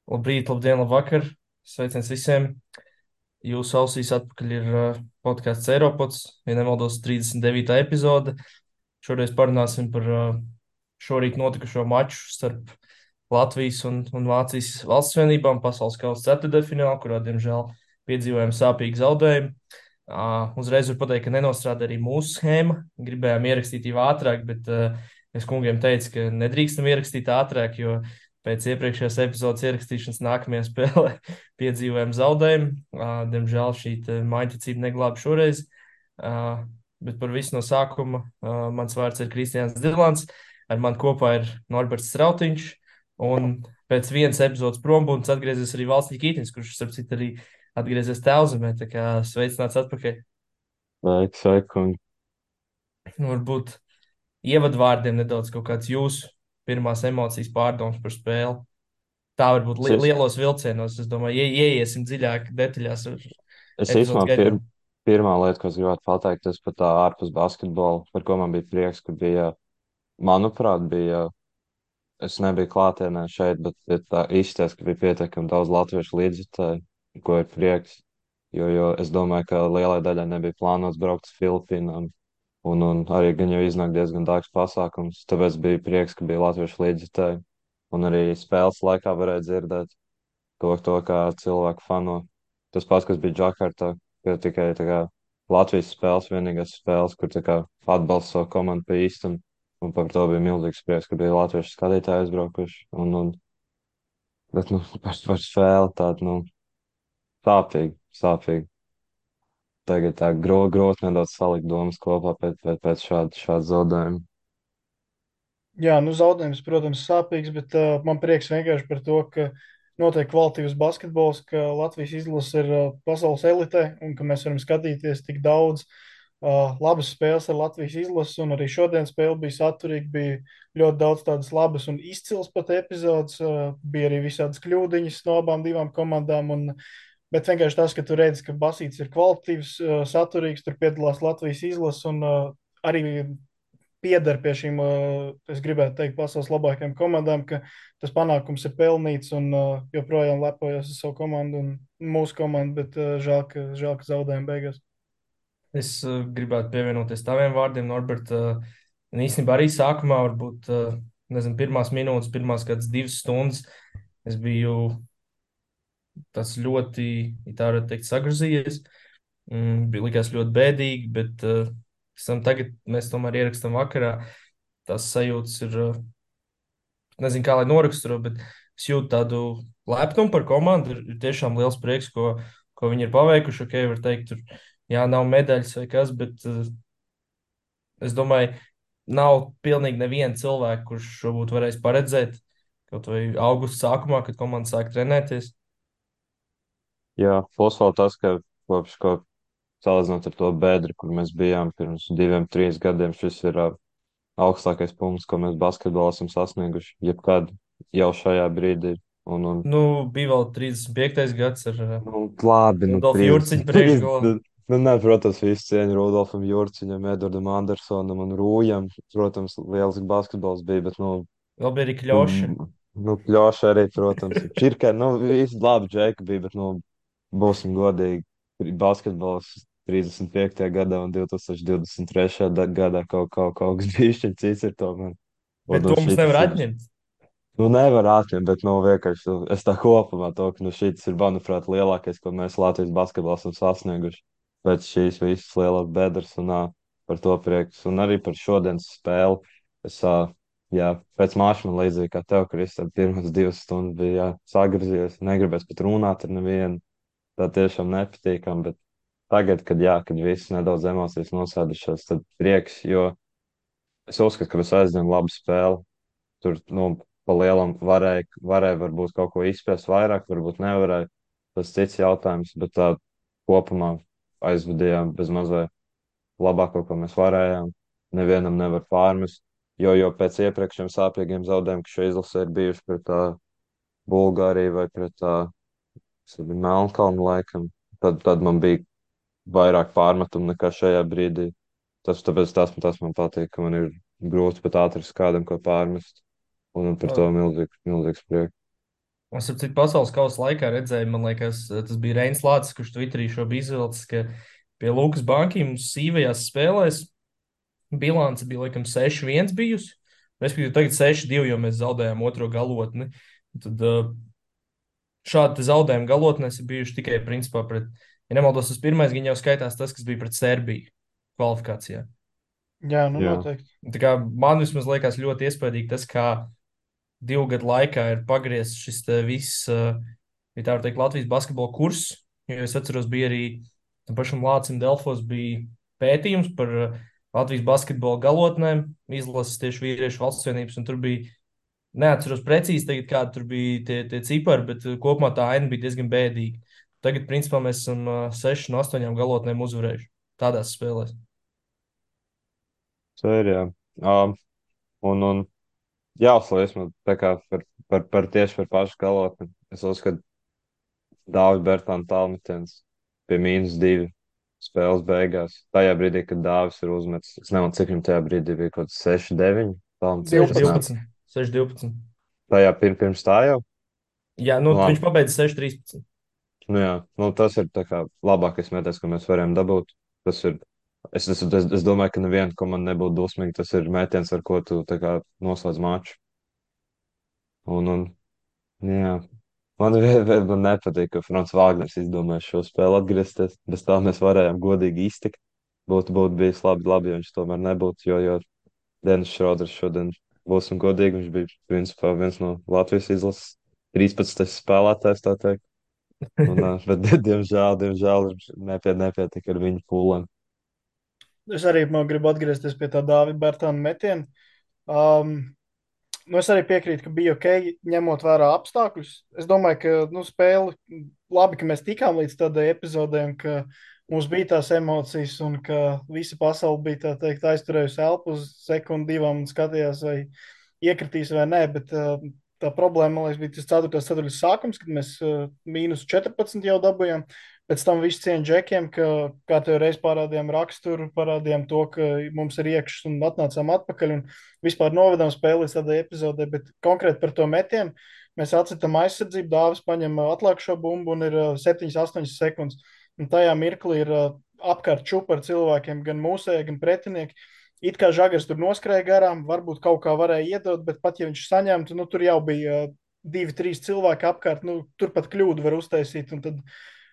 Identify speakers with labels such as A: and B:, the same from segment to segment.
A: Labrīt, labdien, labvakar. Sveiciens visiem. Jūsu ausīs atpakaļ ir podkāsts Eiropods, ja nemaldos, 39. epizode. Šoreiz parunāsim par šorīt notikušo maču starp Latvijas un Vācijas valsts vienībām pasaules kausa ceturtdaļfinālā, kurā, diemžēl, piedzīvojām sāpīgu zaudējumu. Uzreiz var pateikt, ka nenostrādā arī mūsu schēma. Gribējām ierakstīt jau ātrāk, bet es kungiem teicu, ka nedrīkstam ierakstīt ātrāk, jo pēc iepriekšējās epizodes ierakstīšanas nākamajā spēlē piedzīvojām zaudējumu. Diemžēl šī mājticība neglāba šoreiz. Bet par visu no sākuma mans vārds ir Kristians Dilants. Ar mani kopā ir Norberts Strautiņš. Un pēc vienas epizodes prombūtnes atgriezies arī Valsts Kītins, kurš, starp citu, arī atgriezies Tēlzemē. Tā kā sveicināts atpakaļ.
B: Sveiki, sveiki.
A: Nu, varbūt ievadvārdiem nedaudz kaut kāds jūsu pirmās emocijas pārdomas par spēli. Tā varbūt
B: Es, es,
A: lielos vilcienos. Es domāju, ieiesim dziļāk detaļās ar
B: es
A: epizodes
B: īstenībā
A: gaitā.
B: pirmā lieta, ko es gribētu pateikt, tas par tā ārpus basketbolu, par ko man bija prieks, ka bija, manuprāt, bija, es nebiju klātienē šeit, bet tā izsties, ka bija pietiekami daudz latviešu līdzjutēju, ko ir prieks, jo es domāju, ka lielai daļai nebija plānots braukt uz Filipīnām, un arī gan jau iznāk diezgan dārgs pasākums, tāpēc bija prieks, ka bija latviešu līdzjutēji, un arī spēles laikā varēja dzirdēt to kā cilvēku fano. Tas pats, kas bija Džakartā, ka tikai tā kā Latvijas spēles, vienīgās spēles, kur tā kā atbalsta savu komandu pa īstam, un par to bija milzīgs prieks, ka bija latviešu skatītāji aizbraukuši, bet, par spēli tādu, sāpīgi, sāpīgi. Tagad tā grūti nedaudz salikt domas kopā pēc šāda zaudējuma.
C: Jā, nu zaudējums, protams, sāpīgs, bet man prieks vienkārši par to, ka notiek kvalitīvs basketbols, ka Latvijas izlase ir pasaules elite un ka mēs varam skatīties tik daudz labas spēles ar Latvijas izlasi. Un arī šodien spēle bija saturīga, bija ļoti daudz tādas labas un izcils pat epizodes. Bija arī visādas kļūdiņas no abām divām komandām. Bet vienkārši tas, ka tu redzi, ka basīts ir kvalitīvs, saturīgs, tur piedalās Latvijas izlase un arī pieder pie šīm, es gribētu teikt, pasaules labākajām komandām, ka tas panākums ir pelnīts un joprojām lepojos ar savu komandu un mūsu komandu, bet žēl, ka zaudējām beigās.
A: Es gribētu pievienoties taviem vārdiem, Norbert. Un īstenībā arī sākumā, varbūt, nezinu, pirmās minūtes, pirmās kādas 2 stundas, es biju tas ļoti, ja tā varētu teikt, sagrozījies. Bija likās ļoti bēdīgi, bet pēc tam tagad mēs tomēr ierakstām vakarā. Tās sajūtas ir, nezinu, kā lai noraksturo, bet es jūtu tādu lepnumu par komandu. Ir tiešām liels prieks, ko viņi ir paveikuši. Ok, var teikt, tur, jā, nav medaļas vai kas, bet es domāju, nav pilnīgi neviena cilvēka, kurš šo būtu varējis paredzēt kaut vai augusta sākumā, kad komanda sāk trenēties.
B: Jā, plus vēl tas, ka ko salīdzinot ar to bedri, kur mēs bijām pirms 2, 3 gadiem, šis ir augstākais punkts, ko mēs basketbolā esam sasnieguši jebkad jau šajā brīdī. Un,
A: Nu, bija vēl 35. gads ar
B: labi,
A: Rudolfu
B: 30.
A: Jurciņu priekšgalā.
B: Nē, protams, visu cieņu Rudolfam Jurciņam, Edvardam Andersonam un Rūjam. Protams, liels basketbols bija, bet,
A: Vēl bija arī
B: nu,
A: Kļoša.
B: Pļoša arī, protams, Čirkai, visi labi džeki bija, bet, būsim godīgi, basketbols 35. gadā un 2023. Gadā kaut kas bišķiņ cits ir tomēr.
A: Bet to mums
B: Šitas
A: nevar
B: ir,
A: atņemt.
B: nevar atņemt, bet, vienkārši es tā kopumā to, ka, šitas ir, manuprāt, lielākais, ko mēs Latvijas basketbolā esam sasnieguši pēc šīs visas lielās bedres un par to prieks. Un arī par šodienas spēli. Es, jā, pēc māša man līdzīgi kā tev, Kristēn, pirmas 2 stundas bija, jā, sagriezies, negribēs pat runāt ar nevienu. Tā tiešām nepatīkam, bet tagad, kad viss nedaudz emocijas nosēdušās, tad prieks, jo es uzskatu, ka mēs aizdevām labu spēli. Tur, pa lielam varēja varbūt kaut ko izspēst vairāk, varbūt nevarēja. Tas cits jautājums, bet tā kopumā aizvadījām bez mazliet labāko, ko mēs varējām. Nevienam nevar pārmest, jo pēc iepriekšējiem sāpīgiem zaudējumiem, kas šajā izlasē ir bijuši pret Bulgāriju vai pret Melnkalnu laikam, tad man bija vairāk pārmetumu nekā šajā brīdī. Tāpēc tas man patīk, ka man ir grūti pat atrast kādam, ko pārmest. Un par to milzīgs prieks.
A: Es ar citu pasaules kausa laikā redzēju, man liekas, tas bija Reins Lācis, kurš Twitterī šo bija izvilcis, ka pie Lukas Bankiem mums sīvajās spēlēs bilance bija laikam 6-1 bijusi. Respektīvi, tagad 6-2, jo mēs zaudējām otro galotni. Tad šādi zaudējumi galotnēs ir bijuši tikai principā pret, ja nemaldos, tas pirmais gan jau skaitās tas, kas bija pret Serbiju kvalifikācijā.
C: Jā, nu
B: Jā,
C: noteikti.
A: Tā kā man vismaz liekas ļoti iespaidīgi tas, kā 2 gadu laikā ir pagriezts šis te viss, ja tā var teikt, Latvijas basketbola kurs. Jo es atceros, bija arī tam pašam Lācim Delfos bija pētījums par Latvijas basketbola galotnēm, izlases tieši vīriešu valsts vienības, un tur bija, neatceros precīzi tagad, kādi tur bija tie cipari, bet kopumā tā aina bija diezgan bēdīga. Tagad, principā, mēs esam 6 no 8 galotnēm uzvarējuši tādās spēlēs.
B: sērijā. Um, un jāuzslavas man tā kā par tieši par pašu galotni. Es uzskatu, Dāvis Bertāna tālmetiens pie -2 spēles beigās. Tajā brīdī, kad Dāvis ir uzmetis, es nezinu, cik viņam tajā brīdī bija kaut kas 6-9 tālmetiens.
C: 12.
A: 6-12. 6-12.
B: Tajā pirms tā jau.
A: Jā, nu,
B: Nu,
A: viņš
B: labi.
A: pabeidza 6-13.
B: Nu, jā, nu, tas ir tā kā labākais metiens, ko mēs varējām dabūt. Tas ir. Es domāju, ka neviena komanda nebūtu dusmīga. Tas ir metiens, ar ko tu tā kā noslēdz maču. Un jā, man nepatīk, ka Frants Vāgners izdomāja šo spēli atgriezties. Bez tā mēs varējām godīgi iztikt. Būtu bijis labi, ja viņš tomēr nebūtu. Jo Denis Šroders šodien, būsim godīgi, viņš bija principā viens no Latvijas izlases 13. spēlētājs, tā teikt. Bet, diemžēl viņš nepietika ar viņu pūlēm.
C: Es arī gribu atgriezties pie tā Dāvida Bērtāna metiena. Um, nu es arī piekrītu, ka bija ok, ņemot vērā apstākļus. Es domāju, ka nu, spēle labi, ka mēs tikām līdz tādai epizodē, un ka mums bija tās emocijas, un ka visa pasaule bija tā teikt, aizturējusi elpu uz sekundi, divām un skatījās, vai iekritīs vai nē. Bet tā problēma, man liekas, bija tas 4. ceturtais sākums, kad mēs -14 jau dabūjām. Pēc tam viss cieņa džekiem, ka kā tev reiz parādījām raksturu, parādījām to, ka mums ir iekšs un atnācām atpakaļ un vispār novedām spēli līdz tādai epizodē, bet konkrēti par to metienu mēs atcitām aizsardzību, Dāvis paņem atlikušo bumbu un ir 7-8 sekundes. Un tajā mirklī ir apkārt čupa ar cilvēkiem, gan mūsēji, gan pretinieki. It kā žagars tur noskrēja garām, varbūt kaut kā varēja iedot, bet pat ja viņš saņemtu, nu tur jau bija 2-3 cilvēki apkārt, nu tur pat kļūdu var uztaisīt. Un tad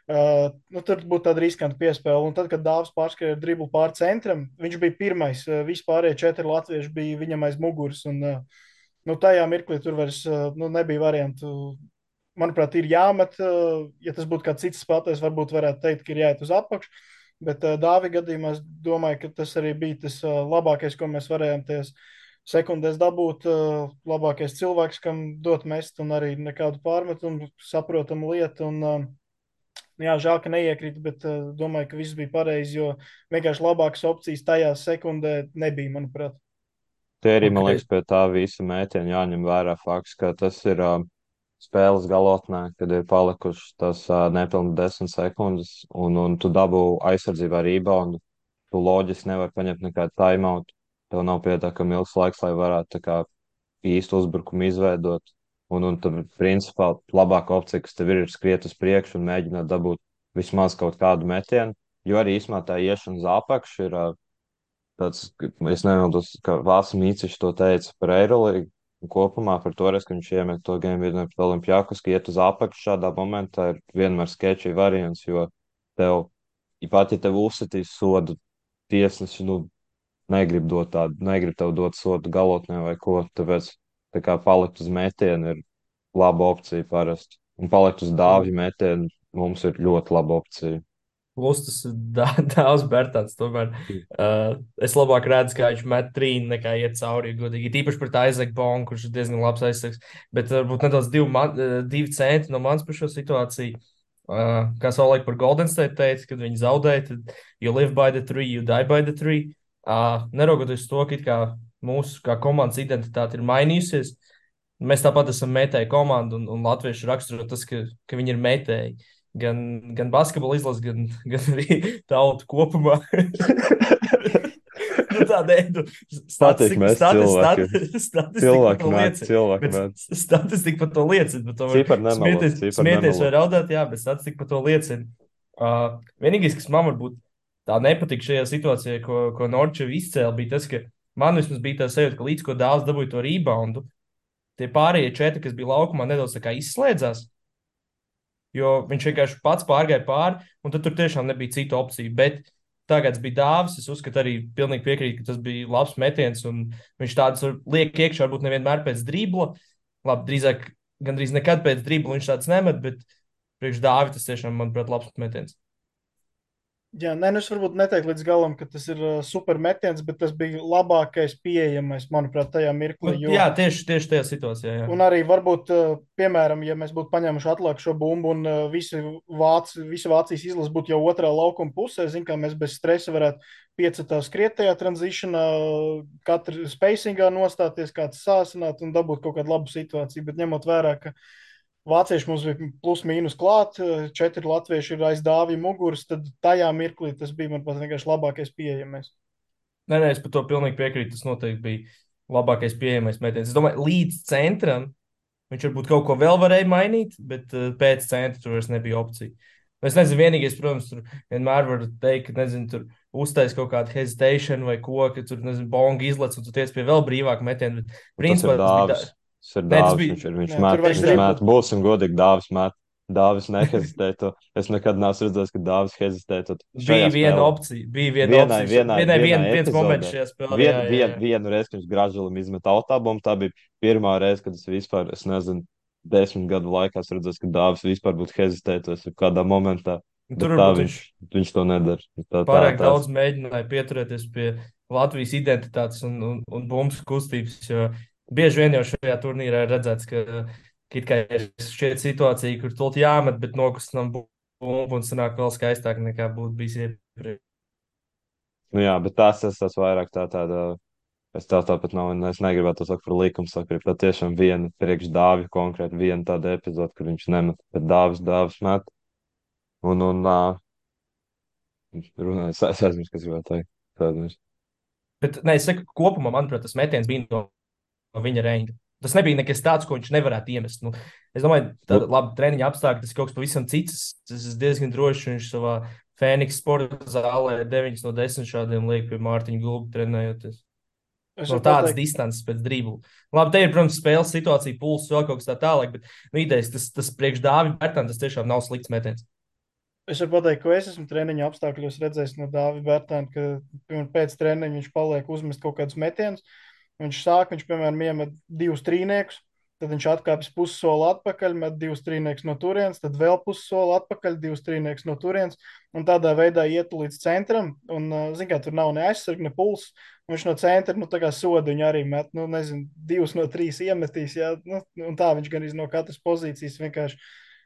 C: nu, tur būtu tāda riskanta piespēle. Un tad, kad Dāvis pārskrēja driblu pāri centram, viņš bija pirmais. Vispārējie 4 latvieši bija viņam aiz muguras. Un, nu, tajā mirklī tur vairs nu, nebija variantu. Manuprāt, ir jāmet. Ja tas būtu kāds cits spēlētājs, varbūt varētu teikt, ka ir jāiet uz apakšu. Bet Dāvija gadījumā es domāju, ka tas arī bija tas labākais, ko mēs varējām tajās sekundēs dabūt. Labākais cilvēks, kam dot mest, un arī nekādu pārmetumu, saprotamu lietu. Un, jā, žēl, ka neiekrīt, bet domāju, ka viss bija pareizi, jo vienkārši labākas opcijas tajā sekundē nebija, manuprāt.
B: Tie arī, man
A: Okay.
B: liekas, pie tā visa mētiena jāņem vērā fakts, ka tas ir spēles galotnē, kad ir palikušas tas nepilni 10 sekundes, un tu dabū aizsardzībā reboundu. Tu loģiski nevari paņemt nekādu timeout. Tev nav pietiekami ilgs laiks, lai varētu tā kā īstu uzbrukumu izveidot. Un tad, principā, labākā opcija, kas tev ir skriet uz priekšu un mēģināt dabūt vismaz kaut kādu metienu. Jo arī īsumā tā iešana uz apakšu ir tāds, es nezinu, kā Vācis Mīcišs to teica par Eirolīgu. Un kopumā par to, ka viņš iemet to game vienu pret Olimpijakus, ka iet uz apakšu šādā momentā ir vienmēr sketchy variants, jo tev, pat ja tev uzsitīs sodu tiesneši, nu, negrib tev dot sodu galotnē vai ko, tāpēc tā kā palikt uz metienu ir laba opcija parasti. Un palikt uz dāvju metienu mums ir ļoti laba opcija.
A: Plus tas Dāvs Bērtāns. Tomēr es labāk redzu, kā viņš met trīnu, nekā iet cauri. Godīgi. Tīpaši par Aizaku Bongu, kurš ir diezgan labs aizsargs. Bet varbūt nedaudz divi centi no manas par šo situāciju. Kā savulaik par Golden State teica, kad viņi zaudēja, tad you live by the tree, you die by the tree. Neraugoties to, ka it kā mūsu kā komandas identitāte ir mainījusies, mēs tāpat esam metēji komanda, un latvieši raksturo tas, ka viņi ir metēji. Gan basketbola izlase, gan arī tauta kopumā. Tādēļ,
B: Patīk mēs cilvēki.
A: statistika par
B: Cilvēki
A: to
B: mēt,
A: liecina.
B: cilvēki
A: Bet
B: mēt.
A: statistika par to liecina. Bet to var
B: Cipari nemelo, cipari
A: smieties vai
B: nemelo.
A: raudāt, jā, bet statistika par to liecina. Vienīgais, kas man varbūt tā nepatika šajā situācijā, ko Norčev izcēla, bija tas, ka man vismaz bija tā sajūta, ka līdz ko dāvs dabūja to reboundu, tie pārējie četri, kas bija laukumā, nedaudz tā kā izslēdzās. Jo viņš vienkārši pats pārgāja pāri, un tad tur tiešām nebija citu opciju. Bet tagad bija dāvs. Es uzskatu, arī pilnīgi piekrītu, ka tas bija labs metiens. Viņš tādus liek iekšā, varbūt nevienmēr pēc dribla. Labi, drīzāk, gandrīz nekad pēc dribla viņš tāds nemet, bet priekš dāvi tas tiešām, manuprāt, labs metiens.
C: Jā, nē, nu es varbūt neteiktu līdz galam, ka tas ir super metiens, bet tas bija labākais pieejamais, manuprāt, tajā mirklī.
A: Jā, tieši tajā situācijā. Jā.
C: Un arī varbūt, piemēram, ja mēs būtu paņēmuši atlikušo bumbu un visa Vācijas izlase būtu jau otrā laukuma pusē, zin, kā mēs bez stresa varētu piecetā skriet tajā tranzīšanā, katra spacingā nostāties, kāds sāsināt un dabūt kaut kādu labu situāciju. Bet ņemot vērā, ka vācieši mums bija plus mīnus klāt, 4 latvieši ir aiz dāvja muguras, tad tajā mirklī tas bija, manuprāt, vienkārši labākais pieejamais.
A: Nē, es par to pilnīgi piekrītu. Tas noteikti bija labākais pieejamais metiens. Es domāju, līdz centram viņš varbūt kaut ko vēl varēja mainīt, bet pēc centra tur vairs nebija opcija. Es nezinu, vienīgais, protams, tur vienmēr var teikt, ka, nezinu, tur uztais kaut kādu hesitation vai ko, ka tur, nezinu, bonga izlec un tu tiec pie vēl brīvāka metiena. Bet, principā,
B: tas ir dāvis. Tas ir dāvis. Viņš mēt. Būsim godīgi, dāvis mēt. Dāvis nehezitē. Es nekad neesmu redzējis, ka dāvis hezitē.
A: Bija viena opcija. Viens moments šajā spēlē.
B: Vienu reizi, kad viņš gražulim izmet autābumu, tā bija pirmā reize, kad es vispār, es nezinu, 10 gadu laikā esmu redzējis, ka dāvis vispār būtu hezitētos kādā momentā. Bet tā viņš to nedara.
A: Pārāk daudz mēģināja pieturēties pie Latvijas identitātes un bumbas kustības, jo bieži vien jau šajā turnīrā ir redzēts, ka ir šķiet situācija, kur tulti jāmet, bet nokustinām bumbu un sanāk vēl skaistāk nekā būtu bijis iepriekš.
B: Nu jā, bet tas vairāk tāda, es tāpat nav, es negribētu to sagt par likumsakarību, bet tiešām viena priekš dāvi, konkrēti viena tāda epizode, kur viņš nemet, bet dāvis met. Un runāju, es aizmirsu, kas gribētu teikt.
A: Bet, nē, es saku, kopumā, manuprāt, tas metiens bija no viņa reņģa. Tas nebija nekas tāds, ko viņš nevarētu iemest. Nu, es domāju, tāda laba treniņa apstākļa, tas kaut kas pavisam cits. Es esmu diezgan drošs, viņš savā Fēniks sporta zālē 9 no 10 šādiem liek pie Mārtiņa Gulba trenējoties. No tādas distances pēc dribla. Labi, te ir, protams, spēles situācija, pulss, vēl kaut kas tā tālāk, bet idejas, tas priekš Dāvija Bērtāna, tas tiešām nav slikts metiens.
C: Es varu pateikt, ko es esmu treniņa apstākļos redzējis no Dāvija Bērtāna, ka pēc treniņa viņš paliek uzmest kaut kādus metienus. Viņš, piemēram, iemet 2 trīniekus, tad viņš atkāpjas pussoli atpakaļ, met 2 trīniekus no turienes, tad vēl pussoli atpakaļ, 2 trīniekus no turienes, un tādā veidā iet līdz centram, un, zin kā, tur nav ne aizsarg, ne puls, un viņš no centra, nu, tā kā sodu viņu arī met, nu, nezinu, 2 no 3 iemetīs, jā, nu, un tā viņš gan no katras pozīcijas vienkārši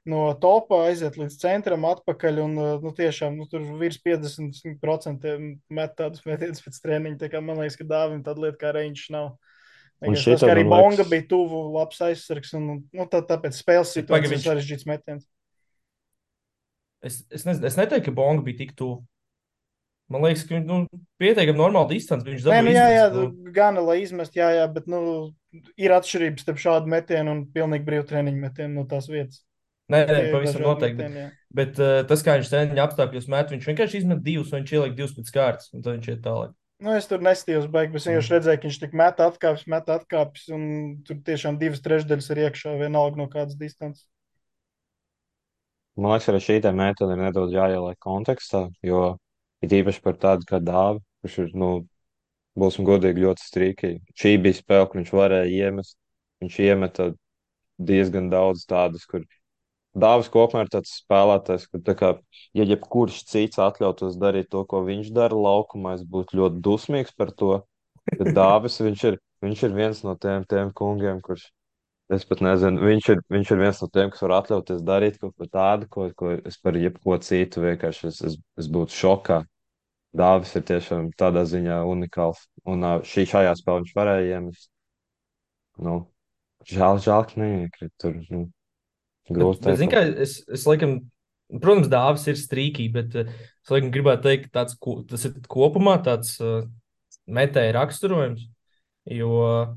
C: no topā aiziet līdz centram atpakaļ, un, nu, tiešām, nu, tur virs 50% met tādus metienus pēc treniņa, tā kā man liekas, ka Dāvim tāda lieta kā reņģis nav. Tas, kā arī Bonga bija tuvu, labs aizsargs, un, nu, tāpēc spēles situācijas sarežģīts metiens.
A: Es neteiktu, ka Bonga bija tik tuvu. Man liekas, ka nu, pietiekami normāla distance viņš dabūja.
C: Jā, gana, lai izmest, jā, bet, nu, ir atšķirības starp šādu metienu un pilnīgi brīvu treniņu metienu no tās vietas.
A: Nē, pavisam noteikti. Bet tas, kā viņš treniņa apstākļos met, viņš vienkārši izmet 2, un viņš ieliek 2 pēc kārtas, un tad viņš iet tālāk.
C: Nu, es tur nestījos baigi, bet es vienkārši redzēju, ka viņš tik met atkāpjas, un tur tiešām 2/3 ir iekšā, vienalga no kādas distances.
B: Man liekas, arī šī metode ir nedaudz jāieliek kontekstā, jo ir īpaši par tādu kā Dāvi, kurš ir, nu, būsim godīgi, ļoti strīkīgi. Šī bija spēle, kur viņš varēja iemest. Viņš iemeta diezgan daudz tādas, kur Dāvis kopumā ir tāds spēlētājs, kur, tā kā, ja jebkurš cits atļautos darīt to, ko viņš dara laukumā, es būtu ļoti dusmīgs par to. Bet Dāvis, viņš ir viens no tiem kungiem, kurš, es pat nezinu, viņš ir viens no tiem, kas var atļauties darīt kaut ko tādu, ko es par jebko citu vienkārši es būtu šokā. Dāvis ir tiešām tādā ziņā unikāls. Un šajā spēlē viņš varēja iemest. Nu, žēl, ka neiekrīt tur. Nu.
A: Bet zin kā, es laikam, protams, Dāvis ir strīkī, bet es laikam gribētu teikt, ka tas ir kopumā tāds metēja raksturojums. Jo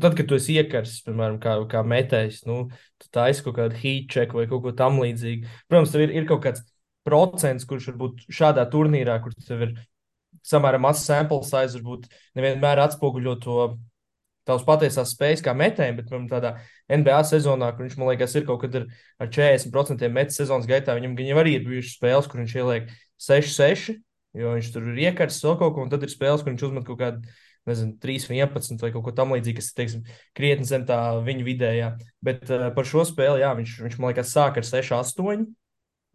A: tad, kad tu esi iekarsis, piemēram, kā metējs, nu, tu taisi kaut kādu heat check vai kaut ko tam līdzīgu. Protams, tev ir kaut kāds procents, kurš varbūt šādā turnīrā, kur tev ir samērā mazs sample size, varbūt nevienmēr atspoguļo to tavas patiesās spējas kā metējiem, bet piemēram, tādā NBA sezonā, kur viņš, man liekas, ir kaut kad ar 40% metas sezonas gaitā, viņam gan jau arī ir bijušas spēles, kur viņš ieliek 6-6, jo viņš tur ir iekarsis vēl kaut ko, un tad ir spēles, kur viņš uzmet kaut kādu, nezinu, 3-11 vai kaut ko tam līdzīgu, kas ir, teiksim, krietni zem tā viņa vidējā. Bet par šo spēli, jā, viņš man liekas, sāk ar 6-8,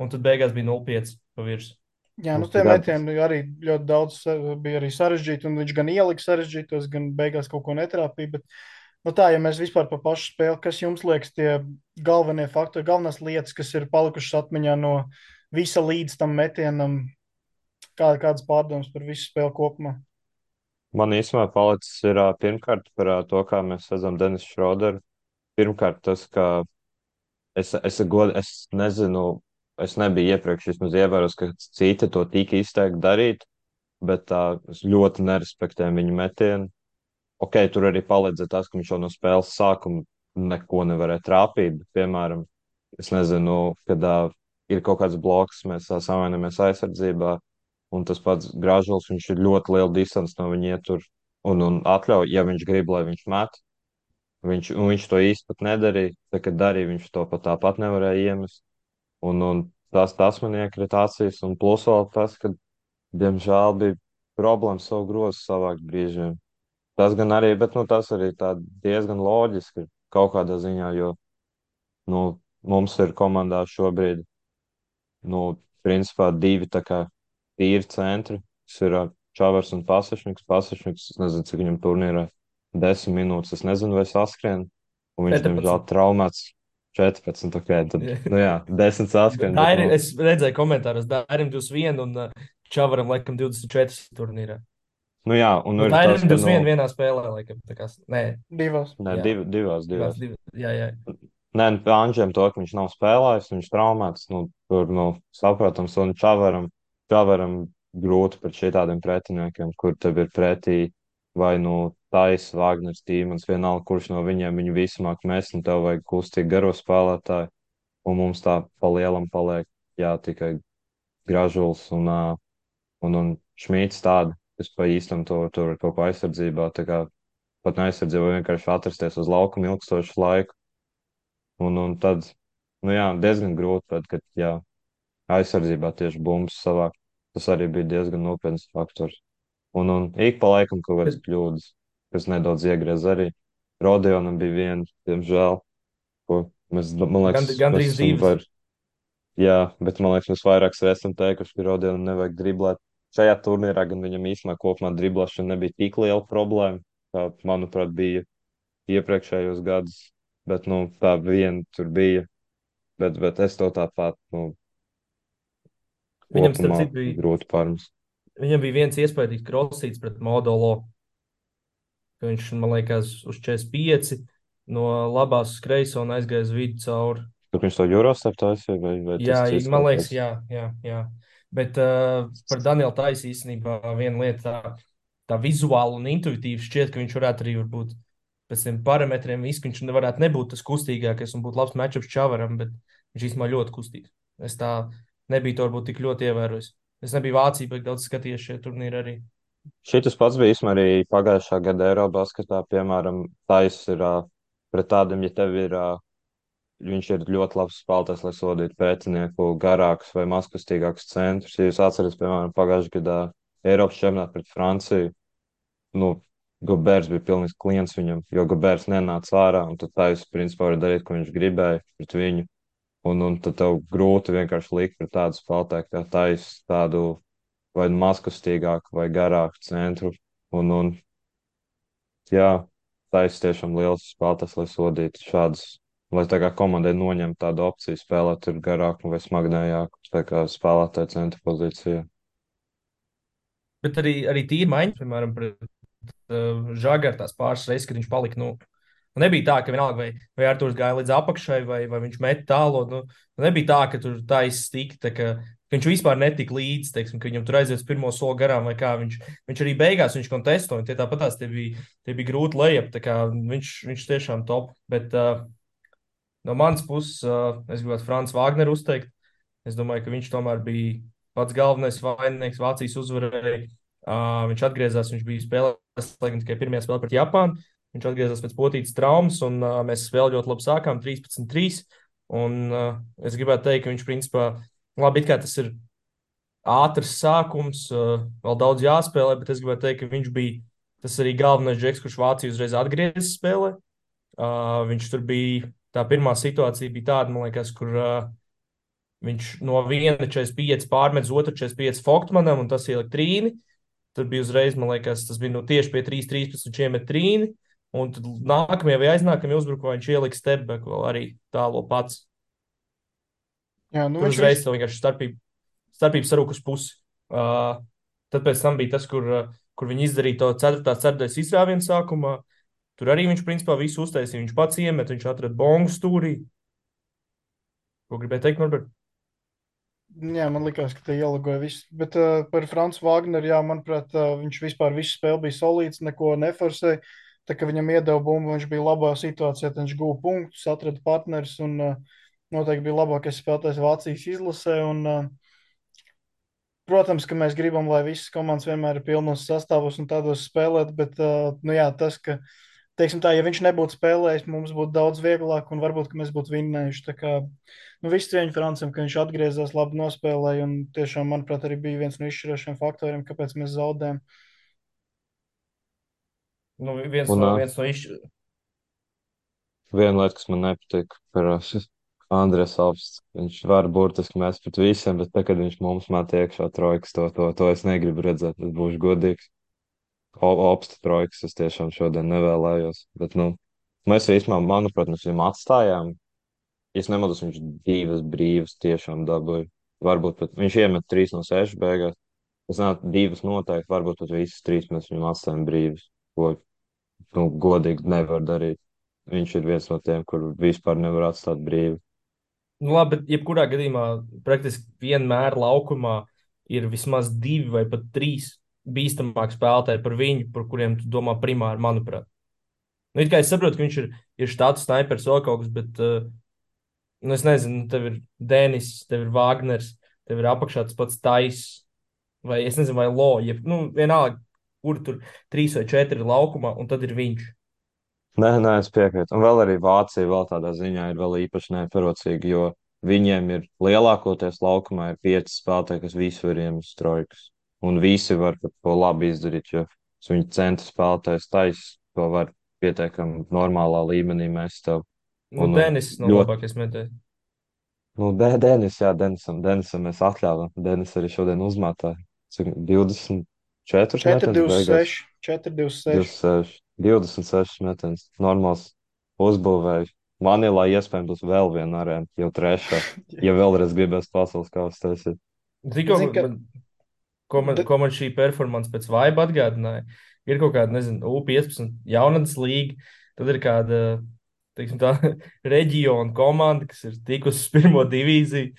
A: un tad beigās bija 0-5 pa virsmu.
C: Jā,
B: Nu,
C: nu tie
B: gan,
C: metieni arī ļoti daudz bija arī sarežģīti, un viņš gan ielika sarežģītos, gan beigās kaut ko netrāpīja. Bet, nu tā, ja mēs vispār par pašu spēli, kas jums liekas tie galvenie faktori, galvenās lietas, kas ir palikušas atmiņā no visa līdz tam metienam, kādas pārdomas par visu spēli kopumā?
B: man īstenībā palicis ir pirmkārt par to, kā mēs redzam Denisu Šroderu. Pirmkārt tas, ka es nezinu, es nebiju iepriekš vismaz ievērojis, ka citi to tik izteikti darīt, bet es ļoti nerespektēju viņu metienu. Ok, tur arī palīdzēja tas, ka viņš jau no spēles sākuma neko nevarēja trāpīt. Bet, piemēram, es nezinu, kad ir kaut kāds bloks, mēs samainamies aizsardzībā, un tas pats Gražuls, viņš ir ļoti liela distance no viņa ietur un atļauj, ja viņš grib, lai viņš met. Viņš to īsti pat nedarīja. Tā, kad darīja, viņš to pat tāpat nevarēja iemest. Un tas man iekrita acīs. Un plus vēl tas, ka, diemžēl, bija problēmas savu grozu savākt brīžiem. Tas gan arī, bet nu, tas arī tā diezgan loģiski kaut kādā ziņā, jo nu, mums ir komandā šobrīd, nu, principā divi tā kā tīri centri. Tas ir Čavars un Pasašņiks. Pasašņiks, es nezinu, cik viņam turnīrā 10 minūtes, es nezinu, vai saskrien. Un viņš, diemžēl,
A: 14.
B: traumēts 14. Ok, tad, nu jā, 10 saskrien, bet, nu,
A: Es redzēju komentāros, Dairim 21 un Čavaram laikam 24 turnīrā.
B: nu jā, un
A: Nu,
B: nu ir tas,
A: Dairim
B: ka, nu,
A: 21 vienā spēlē, laikam. Tā kā, nē,
C: Divas.
B: ne,
A: jā,
B: divās.
A: jā, jā.
B: Nē, nu, pie Anģiem to, ka viņš nav spēlējis, viņš traumēts, nu, tur, nu, saprotams, un Čavaram grūti pret šitādiem pretiniekiem, kur tev ir pretī vai, nu, Tais, Vāgners, Tīmans, vienalga, kurš no viņiem viņu visu māk mest, un tev vajag kustīgi garo spēlētāju, un mums tā pa lielam paliek, jā, tikai Gražuls un Šmīts tādi, kas pa īstam tur ir kaut ko aizsardzībā, tā kā pat neaizsardzībā vienkārši atrasties uz laukuma ilgstošu laiku. Un tad, nu jā, diezgan grūti, bet, kad, jā, aizsardzībā tieši bumbas savākt, tas arī bija diezgan nopietns faktors. Un ik pa laikam kaut kādas
A: Bet
B: kļūdas, kas nedaudz iegriez arī. Rodionam bija viena, diemžēl, ko mēs, man liekas, mēs
A: gandrīz
B: esam
A: divas.
B: jā, bet man liekas, mēs vairāk esam teikuši, ka Rodionam nevajag driblēt. Šajā turnīrā gan viņam īstenībā kopumā driblēšana nebija tik liela problēma, kā, manuprāt, bija iepriekšējos gadus, bet, nu, tā viena tur bija. Bet es to tāpat, nu,
A: Viņam, starp
B: kopumā
A: citu,
B: grūti pārmest.
A: viņam bija viens iespaidīgs krosīts pret Modolo, ka viņš, man liekas, uz 45 no labās uz kreiso un aizgāja uz vidu cauri.
B: Tur viņš to Eurostar taisīja, vai tas
A: Jā,
B: cits
A: man
B: kaut
A: liekas,
B: kas?
A: jā. Bet par Danielu Taisu īstenībā viena lieta tā vizuāli un intuitīvi šķiet, ka viņš varētu arī būt pēc tiem parametriem, viss, ka viņš nevarētu nebūt tas kustīgākais un būt labs matčups Čavaram, bet viņš īstenībā ļoti kustīgs. Es tā nebiju to varbūt tik ļoti ievērojis. Es nebiju Vācijā, bet daudz skatījies šie turnīri arī.
B: Šitas pats bija īstenībā arī pagājušā gada Eirobasketā, piemēram, Tais ir pret tādiem, ja tev ir, viņš ir ļoti labs spēlētājs, lai sodītu pretinieku garākus vai mazkustīgākus centrus. Ja jūs atceraties, piemēram, pagājušā gadā Eiropas čempionātā pret Franciju, nu, Gobērs bija pilnīgs klients viņam, jo Gobērs nenāca ārā, un tad Tais, principā, var darīt, ko viņš gribēja pret viņu. Un tad tev grūti vienkārši likt pret tādu spēlētāju, kā Tais, tādu vai mazkustīgāku vai garāku centru. Un jā, Tais tiešām liels spēlētājs, lai sodītu šādas, lai tā kā komandai noņemtu tādu opciju spēlēt tur garāku vai smagnējāku, tā kā spēlētāju centra pozīcijā.
A: Bet arī tīri maiņas, piemēram, pret Žagaru tās pāris reizes, kad viņš palika. Nu, nebija tā, ka vienalga vai Artūrs gāja līdz apakšai, vai viņš met tālu. Nu, nebija tā, ka tur tā izstīka, tā ka Viņš vispār netika līdzi, teiksim, ka viņam tur aizies pirmo soli garām, vai kā viņš arī beigās viņš kontestoja. Tie tāpatās tie bija grūti lejap, tā kā viņš tiešām top. Bet no manas puses es gribētu Franču Vāgneru uzteikt. Es domāju, ka viņš tomēr bija pats galvenais vaininieks Vācijas uzvarai. Viņš atgriezās, viņš bija spēlējis, lai gan tikai pirmajā spēlē pret Japānu. Viņš atgriezās pēc potītas traumas, un mēs spēli ļoti labi sākām, 13-3. Un es gribētu teikt, ka viņš principā, labi, it kā tas ir ātrs sākums, vēl daudz jāspēlē, bet es gribētu teikt, ka viņš bija tas arī galvenais džeks, kurš Vāciju uzreiz atgriezis spēlē. Viņš tur bija, tā pirmā situācija bija tāda, man liekas, kur viņš no 1,45 pārmet uz otru 45 Foktmanam, un tas ielika trīni. Tad bija uzreiz, man liekas, tas bija no tieši pie 3,13 viņš iemet trīni. Un tad nākamajā vai aiznākamajā uzbrukumā viņš ielika stepback vēl arī tālo pats.
C: Jā, nu
A: Tur
C: viņš
A: uzreiz tev vienkārši starpība sarūk uz pusi. Tad pēc tam bija tas, kur viņi izdarīja to 4. izrāvienu sākumā. Tur arī viņš principā visu uztaisīja. Viņš pats iemet, viņš atrada bongu stūrī. Ko gribēja teikt, Norbert?
C: Jā, man liekas, ka te ieligoja viss. Bet par Franču Vāgneru, jā, manuprāt, viņš vispār visu spēli bija solīts, neko neforsēja. Tā kā viņam iedeva bumbu, viņš bija labā situācijā, tad viņš guva punktus, atrada partnerus un noteikti bija labākais spēlētājs Vācijas izlasē. Un, protams, ka mēs gribam, lai visas komandas vienmēr ir pilnos sastāvos un tādos spēlēt, bet nu jā, tas, ka, teiksim tā, ja viņš nebūtu spēlējis, mums būtu daudz vieglāk un varbūt, ka mēs būtu vinnējuši. Tā kā, nu, viss cieņa Francam, ka viņš atgriezās, labi nospēlēja un tiešām, manuprāt, arī bija viens no izšķirošiem faktoriem, kāpēc mēs zaudējām.
A: Nu,
B: Un
A: viens no
B: viena lieta, kas man nepatīk par Andrēs Alps, viņš var burtiski mest pret visiem, bet tagad viņš mums met iekšā trojkas, to es negribu redzēt, es būšu godīgs. Opsta trojkas es tiešām šodien nevēlējos, bet, nu, mēs īstenībā, manuprāt, mēs viņam atstājām. Ja es nemaldos, viņš 2 brīvas tiešām dabūja. Varbūt pat viņš iemet 3 no 6 beigās. Es nezinu, 2 noteikti, varbūt pat visas 3 mēs viņam atstājam brīvas, ko, nu, godīgi nevar darīt. Viņš ir viens no tiem, kur vispār nevar atstāt brīvi.
A: Nu, labi, bet jebkurā gadījumā praktiski vienmēr laukumā ir vismaz 2 vai pat 3 bīstamāki spēlētāji par viņu, par kuriem tu domā primāri, manuprāt. Nu, it kā es saprotu, ka viņš ir štāts snipers vēl kaut kas, bet, nu, es nezinu, tev ir Denis, tev ir Wagners, tev ir apakšā tas pats Tais, vai es nezinu, vai Lo, nu, vienalga, kur tur 3 vai 4 ir laukumā, un tad ir viņš.
B: Nē, es piekrītu. Un vēl arī Vācija vēl tādā ziņā ir vēl īpaši neparocīga, jo viņiem ir lielākoties laukumā ir 5 spēlētāji, kas visi var iemest trojkas. Un visi var to labi izdarīt, jo viņu centra spēlētājs taisa to var pietiekami normālā līmenī mest tev.
A: Nu,
B: Un
A: Denis nav
B: ļoti,
A: labākais metējs.
B: nu, Denisam mēs atļāvām. Denis arī šodien uzmētāja. Cik 24 metens beigās.
C: 4-2-6, 4-2-6.
B: 26 metens. Normāls uzbūvējs. Manilā iespējams būs vēl viena arēna, jau trešā. Ja vēlreiz gribēs pasaules kausa taisīt.
A: Zini,
C: Zini, ka
A: ko man šī performance pēc vaiba atgādināja? Ir kaut kāda, nezinu, U15 jaunatnes līga, tad ir kāda, teiksim tā, reģiona komanda, kas ir tikusi uz pirmo divīziju,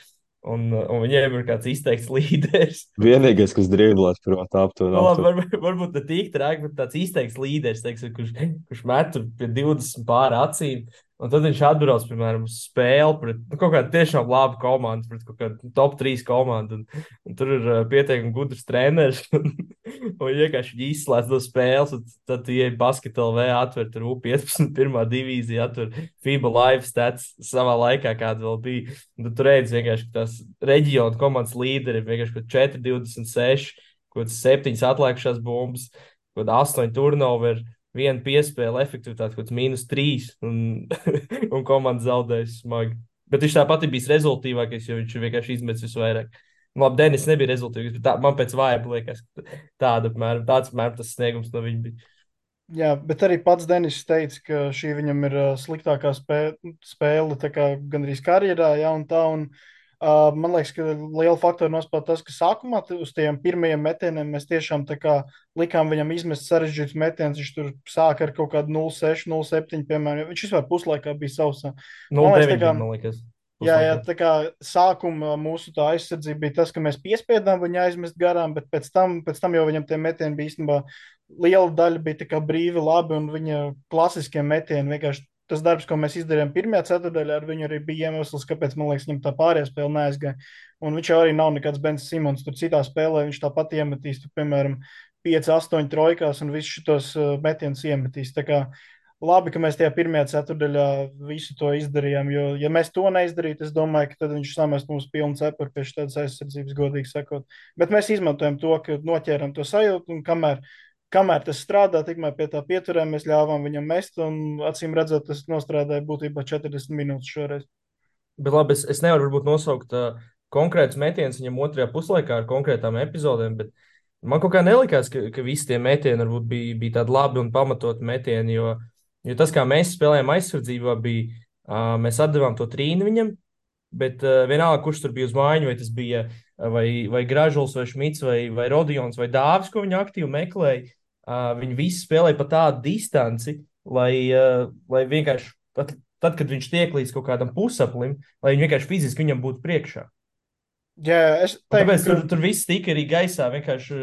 A: un viņiem ir kāds izteikts līderis.
B: Vienīgais, kas drīblās, protams, aptuveni.
A: Nu, labi, varbūt ne tik traki, bet tāds izteikts līderis, teiksim, kurš met tur pie 20 pāri acīm. Un tad viņš atbrauc, piemēram, uz spēli pret kaut kādu tiešām labu komandu, pret kaut kādu top 3 komandu. Un tur ir pietiekami gudrs treneris. Un vienkārši viņi izslēdz no spēles. Tad tu ieej basketbolā, atver tur U15, pirmā divīzija, atver FIBA live stats savā laikā, kāda vēl bija. Un tad tur redz vienkārši tās reģiona komandas līderi, vienkārši 4,26, kaut kāds 7 atlikušās bumbas, kaut kāda 8 turnover. Viena piespēle, efektivitāte kaut kāds -3, un komanda zaudēs smagi. Bet viņš tāpat ir bijis rezultātīvākais, jo viņš vienkārši izmetis visvairāk. Nu, labi, Denis nebija rezultātīvs, bet man pēc vājuma liekas, ka tāds apmēram tas sniegums no viņa bija.
C: Jā, bet arī pats Denis teica, ka šī viņam ir sliktākā spēle tā kā gandrīz karjerā, ja, un tā. Un, man liekas, ka liela faktora nospēlē tas, ka sākumā uz tiem pirmajiem metieniem mēs tiešām tā kā likām viņam izmest sarežģītus metienus. Viņš tur sāka ar kaut kādu 0,6, 0,7, piemēram. Viņš vispār puslaikā bija sausā. Man liekas,
A: 0,9 bija, man liekas.
C: Jā,
A: puslaikā.
C: tā kā sākumā mūsu tā aizsardzība bija tas, ka mēs piespiedām viņu aizmest garām, bet pēc tam jau viņam tie metieni bija īstenībā liela daļa bija tā kā brīvi labi, un viņa klasiskie metieni vienkārši tas darbs, ko mēs izdarījām pirmajā ceturdaļā, ar viņu arī bija iemesls, kāpēc, man liekas, viņam tā pārējā spēle neaizgāja. Un viņš jau arī nav nekāds Bens Simons. Tur citā spēlē viņš tāpat iemetīs, tur, piemēram, 5, 8 trojkās un visus šitos metienus iemetīs. Tā kā labi, ka mēs tajā pirmajā ceturdaļā visu to izdarījām, jo, ja mēs to neizdarītu, es domāju, ka tad viņš samest mums pilnu cepuri pie šādas aizsardzības, godīgi sakot. Bet mēs izmantojam to, ka noķēram to sajūtu, un kamēr tas strādā, tikmēr pie tā pieturēm mēs ļāvām viņam mest, un acīm redzot, tas nostrādāja būtībā 40 minūtes šoreiz.
A: Bet labi, es nevaru varbūt nosaukt konkrētus metienus viņam otrajā puslaikā ar konkrētām epizodēm, bet man kaut kā nelikās, ka visi tie metieni varbūt bija tādi labi un pamatoti metieni, jo tas, kā mēs spēlējām aizsardzībā, bija, mēs atdevām to trīni viņam, bet vienalga, kurš tur bija uz mājiņu, vai tas bija vai Gražuls, vai Šmits, vai Rodions, vai Dāvis, ko viņi aktīvi meklēja, viņi visi spēlēja pa tādu distanci, lai vienkārši tad, kad viņš tiek līdz kaut kādam pusaplim, lai viņi vienkārši fiziski viņam būtu priekšā.
C: Jā, es
A: Un
C: teiktu,
A: tāpēc
C: ka
A: tur viss tika arī gaisā, vienkārši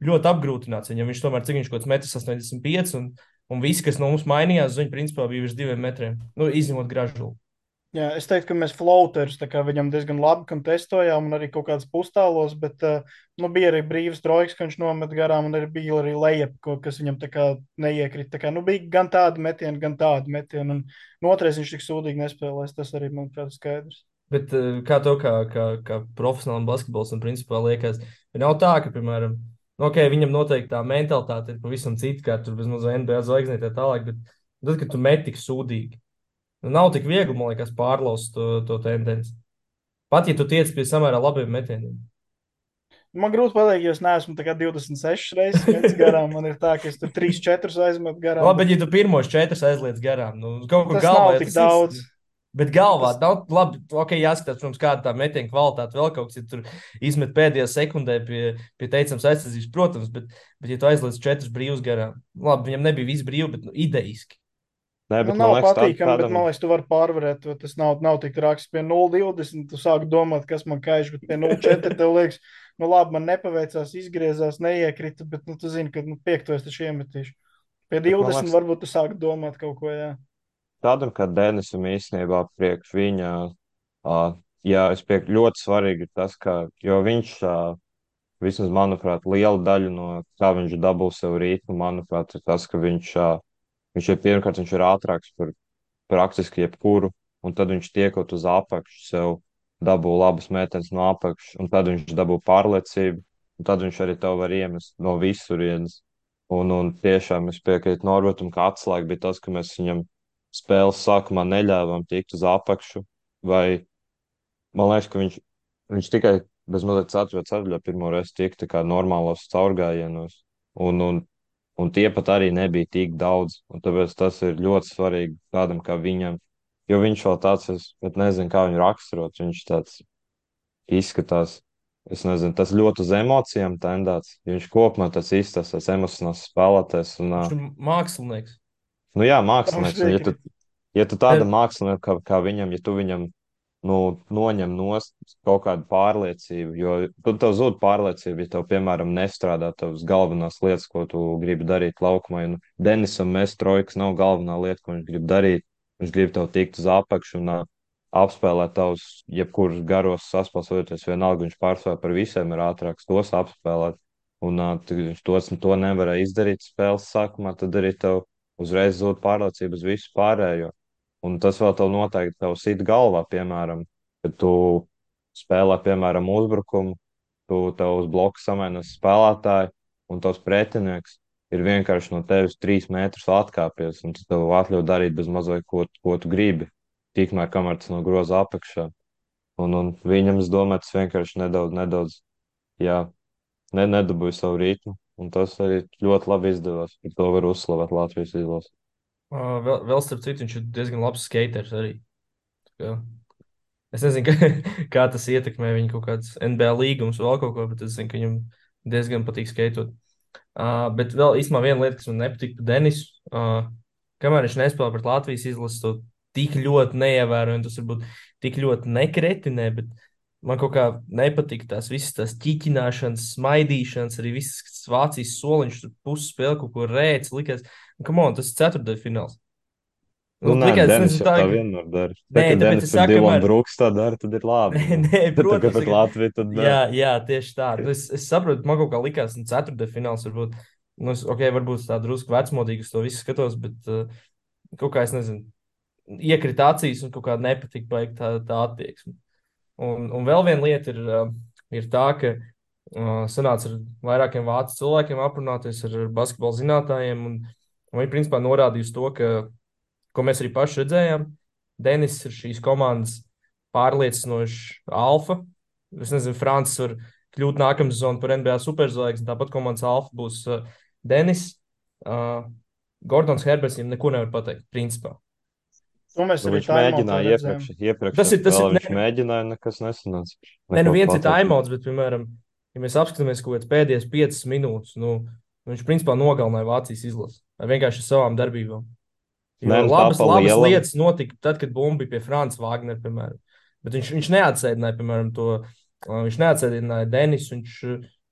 A: ļoti apgrūtināts viņam. Viņš tomēr, cik viņš kaut kāds 1,85 m, un visi, kas no mums mainījās, viņi principā bija virs 2 metriem. Nu, izņemot gražulu.
C: Jā, es teiktu, ka mēs floaterus viņam diezgan labi testojām, un arī kaut kādas pustālos, bet nu, bija arī brīvs trojks, ka viņš nomet garām, un arī bija arī lejap, kas viņam tā kā neiekrita. Tā kā, nu, bija gan tādi metieni, gan tādi metieni, un no otrais viņš tik sūdīgi nespēlēs. Tas arī, manuprāt, ir skaidrs.
A: Bet kā tev, kā profesionālam basketbolistam, principā liekas, ka nav tā, ka, piemēram, nu, okay, viņam noteikti tā mentalitāte ir pavisam cita, kā tur bezmazliet NBA zvaigznē tā tālāk, bet tad, kad tu met tik sūdīgi, nu, nav tik viegli, man liekas, pārlaust to tendenci. Pat, ja tu tiec pie samērā labiem metieniem.
C: Man grūti pateikt, jo es neesmu 26 reizes metis garām. Man ir tā, ka es tur 3, 4 aizmetu garām.
A: Labi, bet ja tu pirmos 4 aizliec garām, nu, kaut kur
C: Tas
A: galvā
C: nav
A: jau
C: tik
A: tas
C: daudz.
A: ir. Bet galvā
C: Tas,
A: nav labi. Ok, jāskatās, protams, kāda tā metiena kvalitāte vēl kaut kas, ja tur izmet pēdējā sekundē pie teicams aizsardzības, protams, bet ja tu aizliec 4 brīvus garām, labi, viņam nebija viss brīvi, bet nu, idejiski.
B: Nē,
C: nu,
B: bet man
C: nav
B: liekas,
C: patīkami, bet
B: tādam,
C: man liekas, tu vari pārvarēt to. Tas nav tik traks. Pie 0,20 tu sāk domāt, kas man kaiš, bet pie 0,4 tev liekas, nu labi, man nepaveicās, izgriezās, neiekrita, bet nu, tu zini, ka nu, 5 es taču iemetīšu. Pie
B: bet man
C: 20
B: liekas,
C: varbūt tu sāk domāt kaut ko, jā.
B: tādam kā Denisam īstenībā priekš viņa, jā, es piekrītu, ļoti svarīgi ir tas, ka, jo viņš, vismaz, manuprāt, liela daļa no kā viņš dabū sev ritmu, manuprāt, ir tas, ka viņš ir pirmkārt, viņš ir ātrāks par praktiski jebkuru, un tad viņš tiekot uz apakšu, sev dabū labas metenes no apakšas, un tad viņš dabū pārliecību, un tad viņš arī tev var iemest no visurienes. Un tiešām es piekrītu Norbertam, ka atslēga bija tas, ka mēs viņam spēles sākumā neļāvām tikt uz apakšu, vai man liekas, ka viņš tikai bez mazliet ceturtajā pirmo reizi tika tā kā normālos caurgājienos, un tie pat arī nebija tik daudz, un tāpēc tas ir ļoti svarīgi tādam kā viņam, jo viņš vēl tāds, es pat nezinu, kā viņu raksturot, viņš tāds izskatās, es nezinu, tas ļoti uz emocijām tendēts, viņš kopumā tas izstāsta, tas emocionāls spēlētājs, un,
A: Viņš ir mākslinieks.
B: nu jā,
C: Tam es
B: mākslinieks, un
C: piekrītu.
B: ja tu tādam māksliniekam kā viņam, ja tu viņam nu, noņem nost kaut kādu pārliecību, jo tad tev zūd pārliecība, ja tev, piemēram, nestrādā tavas galvenās lietas, ko tu gribi darīt laukumā. Un Denisam mest trojkas nav galvenā lieta, ko viņš grib darīt. Viņš grib tev tikt uz apakšu un apspēlēt tavus jebkurus garos saspēlēties. Vienalga, viņš pārsvarā par visiem ir ātrāks tos apspēlēt. Un viņš to nevarēja izdarīt spēles sākumā, tad arī tev uzreiz zūd pārliecība uz visu pārējo. Un tas vēl tev noteikti tev sit galvā, piemēram, kad tu spēlē, piemēram, uzbrukumu, tev uz bloku samainas spēlētāji, un tavs pretinieks ir vienkārši no tevis 3 metrus atkāpies, un tas tev atļauj darīt bez mazliet, ko tu gribi, tikmēr, kamēr tas no groza apakšā. Un viņam, es domāju, tas vienkārši nedaudz, jā, nedabūja savu ritmu, un tas arī ļoti labi izdevās. Par to var uzslavēt Latvijas izlasi.
A: Vēl starp citu, viņš ir diezgan labs skaters arī. Tā kā es nezinu, kā tas ietekmē viņa kaut kādas NBA līgumus vai vēl kaut ko, bet es zinu, ka viņam diezgan patīk skaitot. Bet vēl īstenībā viena lieta, kas man nepatīk par Denisu, kamēr viņš nespēlē pret Latvijas izlasi, to tik ļoti neievēroju, un tas varbūt tik ļoti nekretinē, bet man kaut kā nepatīk tās visas tās ķiķināšanas, smaidīšanas, arī visas Vācijas soliņš, tur pusspēle kaut ko rēc, likās, come on, tas ir ceturtdaļfināls.
B: Nu,
A: Nu,
B: nē,
A: likās, es
B: Denis
A: nezinu,
B: jau
A: tā,
B: tā
A: ka,
B: vienmēr dara. Tā,
A: nē,
B: kad
A: tāpēc
B: Denis
A: es
B: pret
A: saku,
B: Dilanu
A: kamēr,
B: Brooks tā dara, tad ir labi.
A: nē,
B: Nu.
A: nē,
B: Bet tā kā
A: protams,
B: pret
A: tagad,
B: Latviju, tad nē.
A: jā, tieši tā. Nu, es saprotu, man kaut kā likās, nu, ceturtdaļfināls varbūt, nu, ok, varbūt tā drusku vecmodīgi uz to visu skatos, bet kaut kā es nezinu, iekrita acīs un kaut kā nepatika baigt tā attieksme. Un vēl viena lieta ir tā, ka sanāca ar vairākiem vācu cilvēkiem aprunāties ar basketbalu zinātājiem, un viņi principā norādīja uz to, ka, ko mēs arī paši redzējām, Denis ir šīs komandas pārliecinošs alfa. Es nezinu, Francis var kļūt nākamā sezona par NBA superzvaigzni, tāpat komandas alfa būs Denis. Gordons Herberts viņam neko nevar pateikt, principā.
C: To mēs
B: Nu,
C: arī
B: viņš
C: timeoutā
B: mēģināja
C: redzējām.
A: Tas
B: iepriekšējā
A: ir,
B: spēlē, viņš
A: ne,
B: mēģināja, nekas nesanāca.
A: ne, nu
B: Neko
A: viens ir
B: pateikt.
A: timeouts, bet, piemēram, ja mēs apskatāmies kaut kādas pēdējās 5 minūtes, nu, viņš principā nogalināja Vācijas izlasi ar vienkārši savām darbībām.
B: Nē,
A: Jo
B: nu tā pa
A: labas
B: lielam.
A: lietas notika tad, kad bumba bija pie Franča Vāgnera, piemēram. Bet viņš neatsēdināja, piemēram, viņš neatsēdināja Denisu, viņš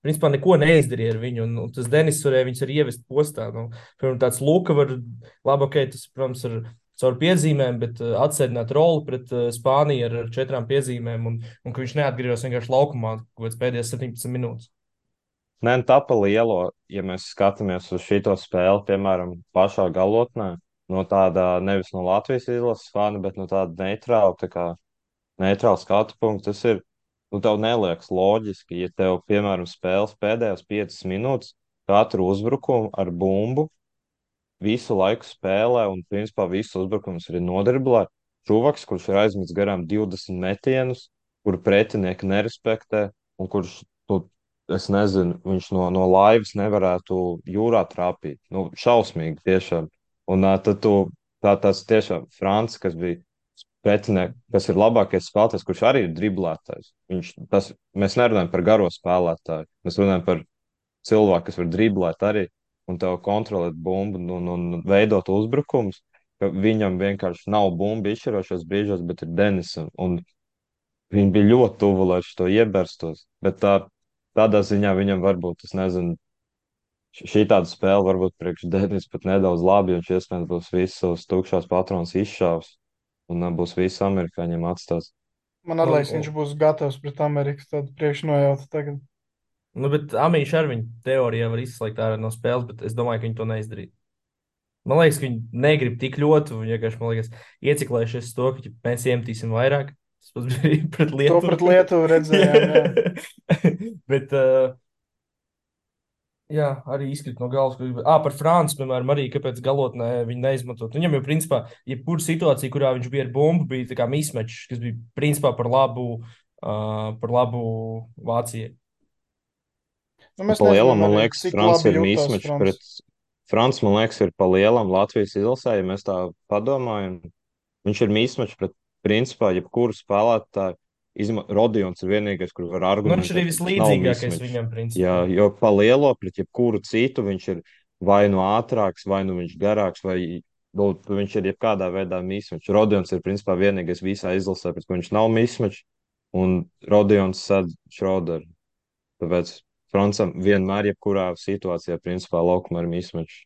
A: principā neko neizdarīja ar viņu, un tas Denis varēja viņus arī ievest postā. Nu, piemēram, tāds Luka var, labi, ok, tas, protams, ir caur piezīmēm, bet atsēdināt roli pret Spāniju ar 4 piezīmēm, un ka viņš neatgriežas vienkārši laukumā kaut kāds pēdējās 17 minūtes.
B: Nē, nu tā pa lielo, ja mēs skatāmies uz šito spēli, piemēram, pašā galotnē, no tāda nevis no Latvijas izlases fana, bet no tāda neitrāla, tā kā neitrāla skatu punkta, tas ir, nu tev neliekas loģiski, ja tev, piemēram, spēles pēdējās 5 minūtes katru uzbrukumu ar bumbu visu laiku spēlē un, principā, visus uzbrukumus arī nodriblē. Čuvaks, kurš ir aizmetis garām 20 metienus, kuru pretinieki nerespektē un kurš, nu, es nezinu, viņš no laivas nevarētu jūrā trāpīt. Nu, šausmīgi tiešām. Un tad tas tiešām Frants, kas bija pretinieks, kas ir labākais spēlētājs, kurš arī ir driblētājs. Mēs nerunājam par garo spēlētāju, mēs runājam par cilvēku, kas var driblēt arī un tev kontrolēt bumbu un veidot uzbrukumus, ka viņam vienkārši nav bumba izšķirošos brīžos, bet ir Denisam. Un viņi bija ļoti tuvu, lai šo ieberstos. Bet tādā ziņā viņam varbūt, es nezinu, šī tāda spēle varbūt priekš Denis pat nedaudz labi, jo viņš iespējams būs visus savus tukšās patronas izšāvis un būs visi amerikāņiem atstās.
C: Man
A: Un,
C: liekas, viņš būs gatavs pret Ameriku. Tādu priekšnojautu tagad.
A: nu, bet Amīša ar viņu teorijā var izslēgt ārā no spēles, bet es domāju, ka viņi to neizdarīja. Man liekas, ka viņi negrib tik ļoti, un vienkārši, man liekas, ieciklējušies to, ka ja mēs iemetīsim vairāk. Tas pats bija arī pret
C: To
A: Lietuvu.
C: pret Lietuvu redzējām. Jā.
A: Bet, jā, arī izkrīt no galvas. Par Franci, piemēram, arī kāpēc galotnē viņi neizmantot. Viņam jau, principā, jebkura situācija, kurā viņš bija ar bumbu, bija tā kā mismečs, kas bija, principā, par labu Vācijai.
C: Nu, mēs
B: Pa lielam,
C: nezinām
B: man
C: arī,
B: liekas,
C: cik
B: Frans
C: labi
B: ir
C: jutās
B: mīsmečs
C: Frans.
B: pret Frans, man liekas, ir pa lielam Latvijas izlasē, ja mēs tā padomājam. Viņš ir mīsmečs pret, principā, jebkuru spēlētāju. Rodions ir vienīgais, kur var
A: Nu, viņš arī
B: argumentēt, ka viņš nav
A: vislīdzīgākais
B: mīsmečs.
A: viņam,
B: Jā,
A: principā.
B: jo pa lielo pret jebkuru citu viņš ir vai nu ātrāks, vai nu viņš garāks, vai nu, viņš ir jebkādā veidā mīsmečs. Rodions ir, principā, vienīgais visā izlasē, pret ko viņš nav mīsmečs, un Rodions sad Šroderu. Tāpēc Francam vienmēr, jebkurā situācijā, principā, laukumā ir mīsmečs.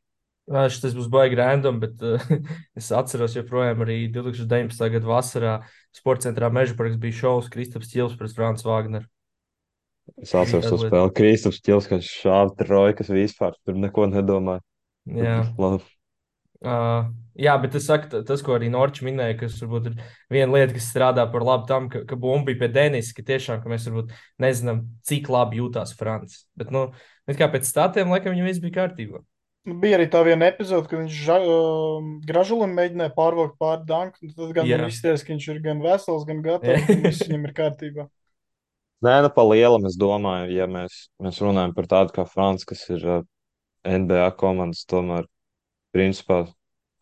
A: Tas būs baigi random, bet es atceros joprojām arī 2019. gada vasarā Sports centrā Mežaparks bija šovs Kristaps Čils pret Francu Vāgneru.
B: Es
A: Bija
B: atceros to
A: tāda lieta.
B: spēli. Kristaps Čils, kas šāva trojkas vispār, tur neko nedomāja.
A: Jā.
B: Labi.
A: Jā, bet es saku, tas, ko arī Norčs minēja, kas varbūt ir viena lieta, kas strādā par labu tam, ka bumba bija pie Denisa, ka tiešām, ka mēs varbūt nezinām, cik labi jūtās Francis. Bet, nu, kā pēc statiem, laikam, viņam viss bija kārtībā.
C: Nu, bija arī tā viena epizode, kad viņš Gražulim mēģināja pārvilkt pāri danku. Tad gan
A: Jā.
C: man izties, ka viņš ir gan vesels, gan gatavs, un viss viņam ir kārtībā.
B: Nē, nu, pa lielam es domāju, ja mēs runājam par tādu kā Frans, kas ir NBA komandas, tomēr, principā,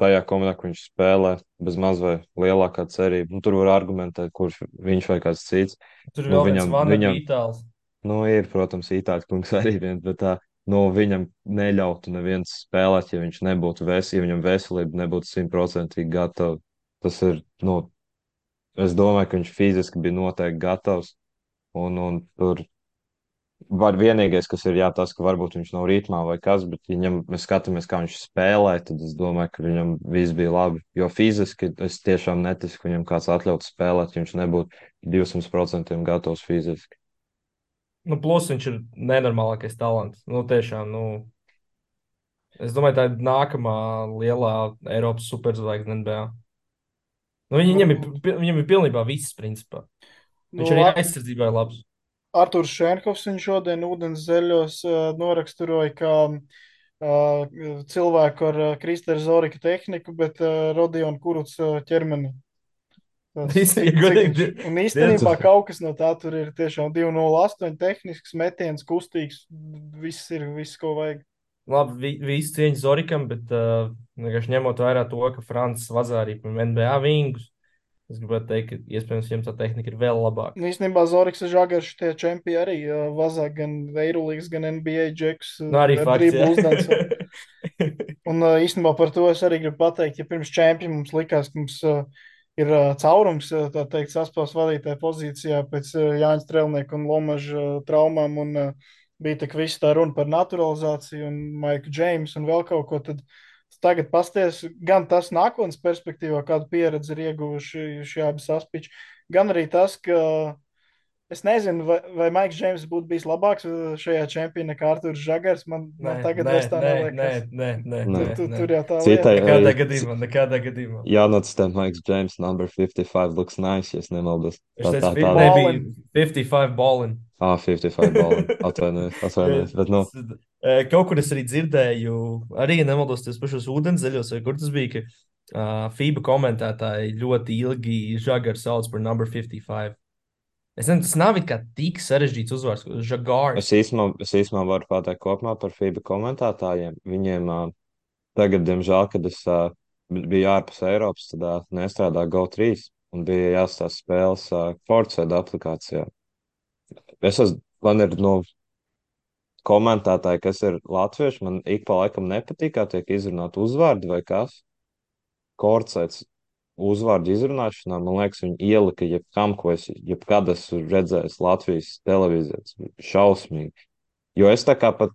B: tajā komandā, kur viņš spēlē, bez maz vai lielākā cerība. Nu, tur var argumentēt, kurš viņš vai kāds cits.
A: Tur ir
B: Nu,
A: vēl viens vana
B: viņam,
A: bija itāls.
B: nu, ir, protams, Itāļu kungs arī viens, bet viņam neļautu neviens spēlēt, ja viņš nebūtu vesels, ja viņam veselība nebūtu 100% gatava. Tas ir, nu, es domāju, ka viņš fiziski bija noteikti gatavs. Un tur var vienīgais, kas ir jā, tas, ka varbūt viņš nav ritmā vai kas, bet, ja mēs skatāmies, kā viņš spēlē, tad es domāju, ka viņam viss bija labi. Jo fiziski es tiešām neticu, ka viņam kāds atļautu spēlēt, ja viņš nebūtu 200% gatavs fiziski.
A: Nu, plus viņš ir nenormālākais talants. Nu, tiešām, nu, es domāju, tā ir nākamā lielā Eiropas superzvaigzne NBA. Nu,
C: Nu,
A: viņam ir pilnībā viss, principā.
C: nu,
A: Viņš arī aizsardzībā ir labs.
C: Artūrs Šenkovs viņu šodien ūdens zeļos noraksturoja kā cilvēku ar Kristēra Zorika tehniku, bet Rodionu Kuruc ķermeni. Tas,
A: Ja
C: cik viņš,
A: godīgi,
C: un
A: diezgan.
C: īstenībā kaut kas no tā tur ir tiešām 208 tehnisks metiens, kustīgs, viss, ko vajag.
A: Labi, visi cieņas Zorikam, bet vienkārši ņemot vērā to, ka Francis vazā arī par NBA vingus, es gribētu teikt, ka iespējams viņam tā tehnika ir vēl labāka.
C: Nu, īstenībā Zoriks un Žagars tie čempioni arī vazā gan Eirolīgas, gan NBA džeks
A: Nu, arī
C: ar
A: fakts, jā.
C: driblu uzdanso. Un īstenībā par to es arī gribu pateikt, ja pirms čempiona mums likās, ka mums ir caurums, tā teikt, saspēles vadītāja pozīcijā pēc Jāņa Strelnieka un Lomaža traumām, un bija tik viss tā runa par naturalizāciju un Maiku Džeimsu un vēl kaut ko, tad tagad pasties gan tas nākotnes perspektīvā, kādu pieredzi ir ieguvuši šie abi saspiči, gan arī tas, ka es nezinu, vai Maiks Džeims būtu bijis labāks šajā čempionā nekā Artūrs Žagars.
A: Nē,
C: Man tagad
A: nē,
C: vairs tā
A: nē, nē,
C: neliekas.
A: nē, nē,
B: Nē.
A: nē, nē.
C: Tur jau tā
B: Citai,
C: lieta.
A: Nekādā gadījumā, nekādā gadījumā.
B: jānocitē Maiks Džeims, number 55 looks nice, ja es nemaldos.
A: Es teicu,
B: Tā
A: nebija
C: Ballin.
A: 55 ballin.
B: 55 balli. Atvainojies, bet, nu,
A: Kaut kur es arī dzirdēju, arī ja nemaldos tos pašos ūdenszeļos, vai kur tas bija, ka FIBA komentētāji ļoti ilgi Žagaru sauc par number 55. Es nezinu, tas nav it kā tik sarežģīts uzvārds, Žagārs.
B: es īsumā varu pateikt kopumā par FIBA komentētājiem. Viņiem tagad, diemžēl, kad es biju ārpus Eiropas, tad nestrādāju GO3 un bija jāstāsta spēles Fortsēda aplikācijā. Man ir, nu, komentētāji, kas ir latvieši, man ik pa laikam nepatīk, kā tiek izrunāt uzvārdi vai kas. Kortsēts uzvārdu izrunāšanā, man liekas, viņi ielika jebkam, ko es jebkad esmu redzējis Latvijas televīzijā. Tas bija šausmīgi. Jo es tā kā pat,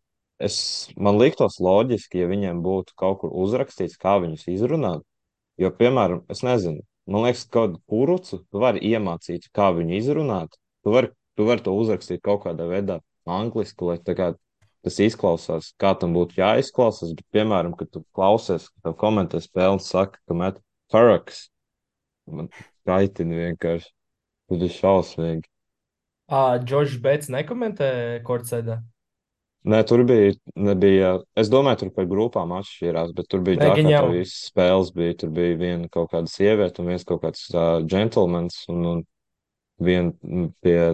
B: man liktos loģiski, ja viņiem būtu kaut kur uzrakstīts, kā viņus izrunāt. Jo, piemēram, es nezinu, man liekas, ka kaut kādu kurucu tu vari iemācīt, kā viņu izrunāt. Tu vari to uzrakstīt kaut kādā veidā angliski, lai tā kā tas izklausās, kā tam būtu jāizklausās. Bet, piemēram, kad tu klausies, kad tev komentē spēli un saka, ka met Faraks, man kaitina vienkārši. Tas ir šausmīgi.
A: Džordžs Bets nekomentē Kortsēdā.
B: Nē, nebija, es domāju, tur par grupām atšķirās, bet tur bija
A: Nē, gan
B: tā,
A: jau.
B: kā visas spēles bija. Tur bija viena kaut kāda sieviete un viens kaut kāds džentlmenis, un viena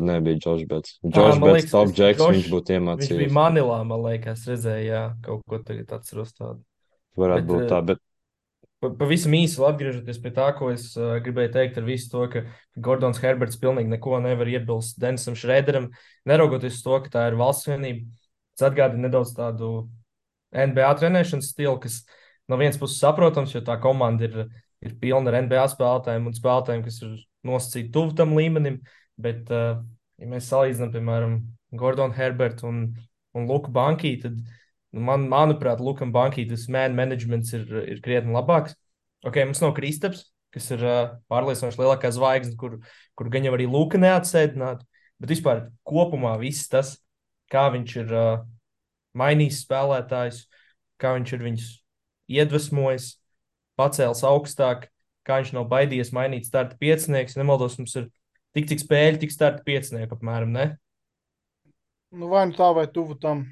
B: nebija Džordžs Bets. Džordžs
A: Man
B: Bets
A: liekas,
B: top džeks,
A: Džordžs,
B: viņš būtu
A: viņš bija
B: iemācījies.
A: Manilā, man liekas, redzēja, jā, kaut ko tagad atceros tādu.
B: Varētu
A: Bet
B: būt tā, bet
A: pavisam īsi vēl atgriežoties pie tā, ko es gribēju teikt ar visu to, ka Gordons Herberts pilnīgi neko nevar iebilst Denisam Šrēderam, neraugoties uz to, ka tā ir valsts vienība. Tas atgādina nedaudz tādu NBA trenēšanas stilu, kas no vienas puses saprotams, jo tā komanda ir pilna ar NBA spēlētājiem un spēlētājiem, kas ir nosacīti tuvu tam līmenim. Bet, ja mēs salīdzinām, piemēram, Gordonu Herbertu un Luku Bankī, tad, manuprāt, Lukam Bankī tas man managements ir krietni labāks. Ok, mums nav Kristaps, kas ir pārliecinoši lielākā zvaigzne, kur gan jau arī Luka neatsēdinātu, bet vispār kopumā viss tas, kā viņš ir mainījis spēlētājus, kā viņš ir viņus iedvesmojis, pacēlis augstāk, kā viņš nav baidījies mainīt starta piecinieks. Nemaldos, mums ir tik cik spēļu, tik starta piecinieku apmēram, ne?
C: Nu, vai nu tā, vai tuvu tam.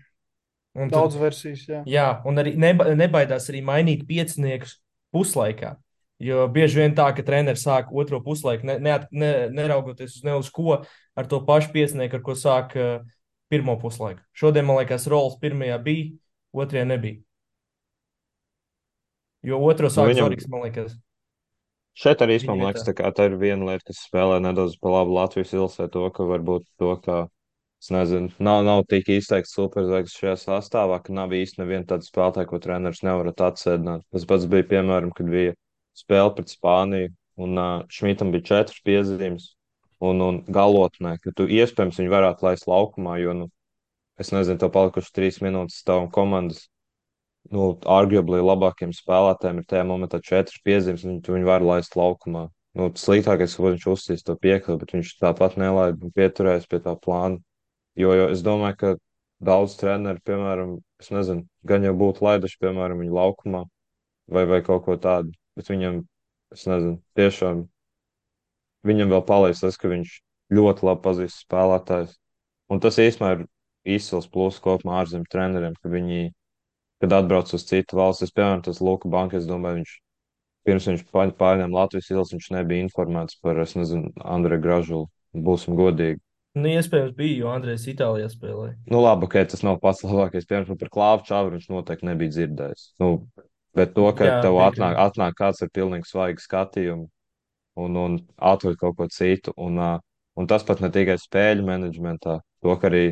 A: Un tad,
C: Daudz versijas, jā.
A: jā, un arī nebaidās arī mainīt pieciniekus puslaikā. Jo bieži vien tā, ka treneris sāk otro puslaiku, neraugoties ne uz ko, ar to pašu piecinieku, ar ko sāk pirmo puslaiku. Šodien, man liekas, rolas pirmajā bija, otrajā nebija. Jo otru
B: nu,
A: sāk
B: viņam
A: Zoriks, man liekas.
B: šeit arī
A: Viņa
B: man
A: vietā.
B: liekas, tā ir viena lieta, kas spēlē nedaudz pa labu Latvijas ilsē to, ka varbūt to, ka, es nezinu, nav tik izteikts superzvaigznes šajā sastāvā, ka nav īsti neviena tāda spēlētāja, ko treneris nevarat atsēdināt. Tas pats bija, piemēram, kad bija spēle pret Spāniju. un Šmitam bija 4 piezīmes, un galotnē, ka tu iespējams viņu varētu laist laukumā, jo, nu, es nezinu, tev palikuši 3 minūtes tavam komandas, nu, arguably labākiem spēlētājiem ir tajā momentā 4 piezīmes, un tu viņu var laist laukumā. Nu, sliktākais, ko viņš uzsīs to piekli, bet viņš tāpat nelaid un pieturēs pie tā plāna. Jo es domāju, ka daudz treneri, piemēram, es nezinu, gan jau būtu laiduši, piemēram, viņu laukumā vai kaut ko tādu, bet viņam, es nezinu, tiešām viņam vēl palīdz tas, ka viņš ļoti labi pazīst spēlētājs. Un tas īstenībā ir izcils pluss kopumā ārzemju treneriem, ka viņi, kad atbrauc uz citu valsts, piemēram, tas Luka Banka, es domāju, pirms viņš pārņēma Latvijas izlasi, viņš nebija informēts par, es nezinu, Andreju Gražulu. Būsim godīgi.
A: Nu, iespējams, bija, jo Andrejs Itālijā spēlēja.
B: Nu, labi, ok, tas nav pats labākais. Piemēram, par Klāvu Čāvu viņš noteikti nebija dzirdējis. Nu, bet to, ka
A: Jā,
B: tev
A: piekrītu.
B: atnāk kāds ar pilnīgi svaigu skatījumu un atved kaut ko citu. Un tas pat ne tikai spēļu menedžmentā, to, ka arī,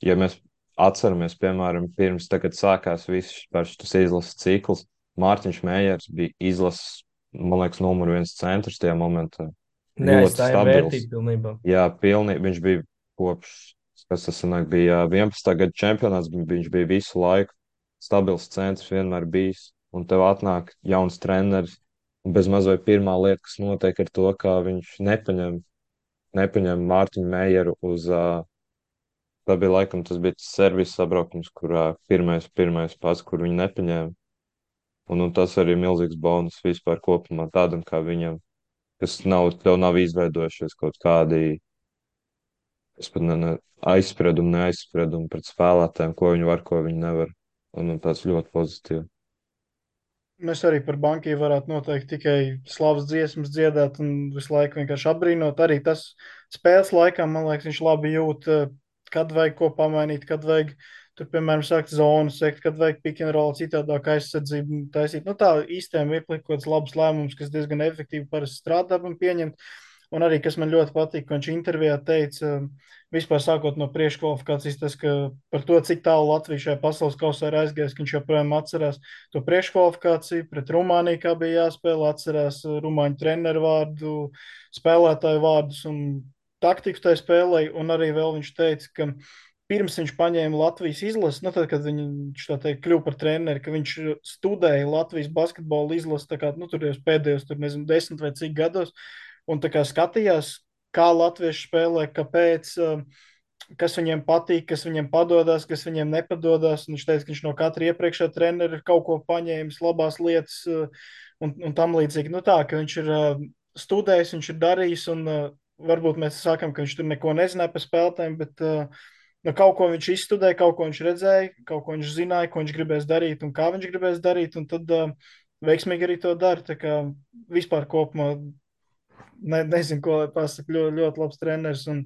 B: ja mēs atceramies, piemēram, pirms tagad sākās viss šis izlases cikls, Mārtiņš Mējers bija izlases, man liekas, numur viens centrs tajā momentā. Ļoti
A: Neaizstājam
B: stabils.
A: vērtību pilnībā.
B: Jā, pilnīgi. Viņš bija kopš, kas tas sanāk, bija 11. gada čempionāts, viņš bija visu laiku stabils centrs, vienmēr bijis. Un tev atnāk jauns treneris. Un bez mazliet pirmā lieta, kas notiek, ir to, ka viņš nepaņem Mārtiņu Meijeru uz, tā bija laikam, tas bija servis sabraukums, kurā pirmais pats, kur viņi nepaņēma. Un tas arī ir milzīgs bonus vispār kopumā tādam kā viņam, kas tev nav izveidojušies kaut kādi. Es pat neaizspriedumu pret spēlētājiem, ko viņi var, ko viņi nevar. Un tas ļoti pozitīvi.
C: Mēs arī par bankiju varētu noteikti tikai slavas dziesmas dziedāt un visu laiku vienkārši apbrīnot. Arī tas spēles laikā, man liekas, viņš labi jūt, kad vajag ko pamainīt, kad vajag tur, piemēram, sākt zonu sekt, kad vajag pick and roll citādāk aizsardzību taisīt. Nu, tā īstenībā mirklī kaut kāds labs lēmums, kas diezgan efektīvi parasti strādā un pieņemt. Un arī, kas man ļoti patīk, ka viņš intervijā teica, vispār sākot no priekškvalifikācijas, tas, ka par to, cik tālu Latvija šajā pasaules kausā ir aizgājis, ka viņš joprojām atcerās to priekškvalifikāciju pret Rumāniju, kā bija jāspēlē, atcerās rumāņu treneru vārdu, spēlētāju vārdus un taktiku tajā spēlē. Un arī vēl viņš teica, ka pirms viņš paņēma Latvijas izlasi, nu, tad, kad viņš tā teikt kļuva par treneri, ka viņš studēja Latvijas basketbola izlasi, tā kā, nu, tur jau pēdējos, tur nezinu, 10 vai cik gados, un tā kā skatījās, kā latvieši spēlē, kāpēc, kas viņiem patīk, kas viņiem padodas, kas viņiem nepadodas. Un viņš teica, ka viņš no katra iepriekšējā trenera ir kaut ko paņēmis, labās lietas un tam līdzīgi. Nu tā, ka viņš ir studējis, viņš ir darījis, un varbūt mēs sakām, ka viņš tur neko nezināja par spēlētājiem, bet nu, kaut ko viņš izstudēja, kaut ko viņš redzēja, kaut ko viņš zināja, ko viņš gribēs darīt un kā viņš gribēs darīt, un tad veiksmīgi arī to dara. Tā kā vispār kopumā nezinu, ko lai pasaka, ļoti, ļoti labs treneris un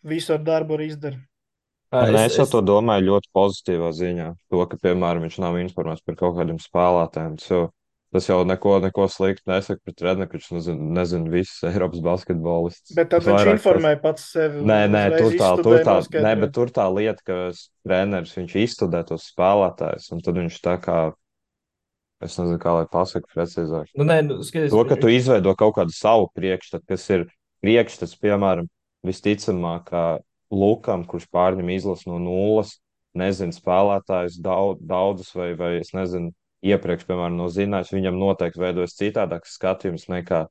C: visu ar darbu arī izdara.
B: Un
A: Es,
B: es jau
A: es,
B: to domāju ļoti pozitīvā ziņā. To, ka, piemēram, viņš nav informēts par kaut kādiem spēlētājiem. Tas jau neko sliktu nesaka par treneru, ka viņš nezina visus Eiropas basketbolistus.
C: Bet tad
B: Tas
C: viņš
B: vairāk tas.
C: informēja pats sevi,
B: Nē,
C: uzreiz
B: tur
C: izstudēja,
B: tā, nē,
C: noskaidroja.
B: bet tur tā lieta, ka treneris viņš izstudē tos spēlētājus, un tad viņš tā kā, es nezinu, kā lai pasaka precīzāk.
A: nu, nē, nu, skaties,
B: To, ka tu izveido kaut kādu savu priekšstatu, kas ir priekšstats, piemēram, visticamāk, kā Lukam, kurš pārņem izlasi no nulles, nezina spēlētājus daudzus, vai es nezinu, iepriekš, piemēram, no zināšanas, viņam noteikti veidojas citādāks skatījums nekā,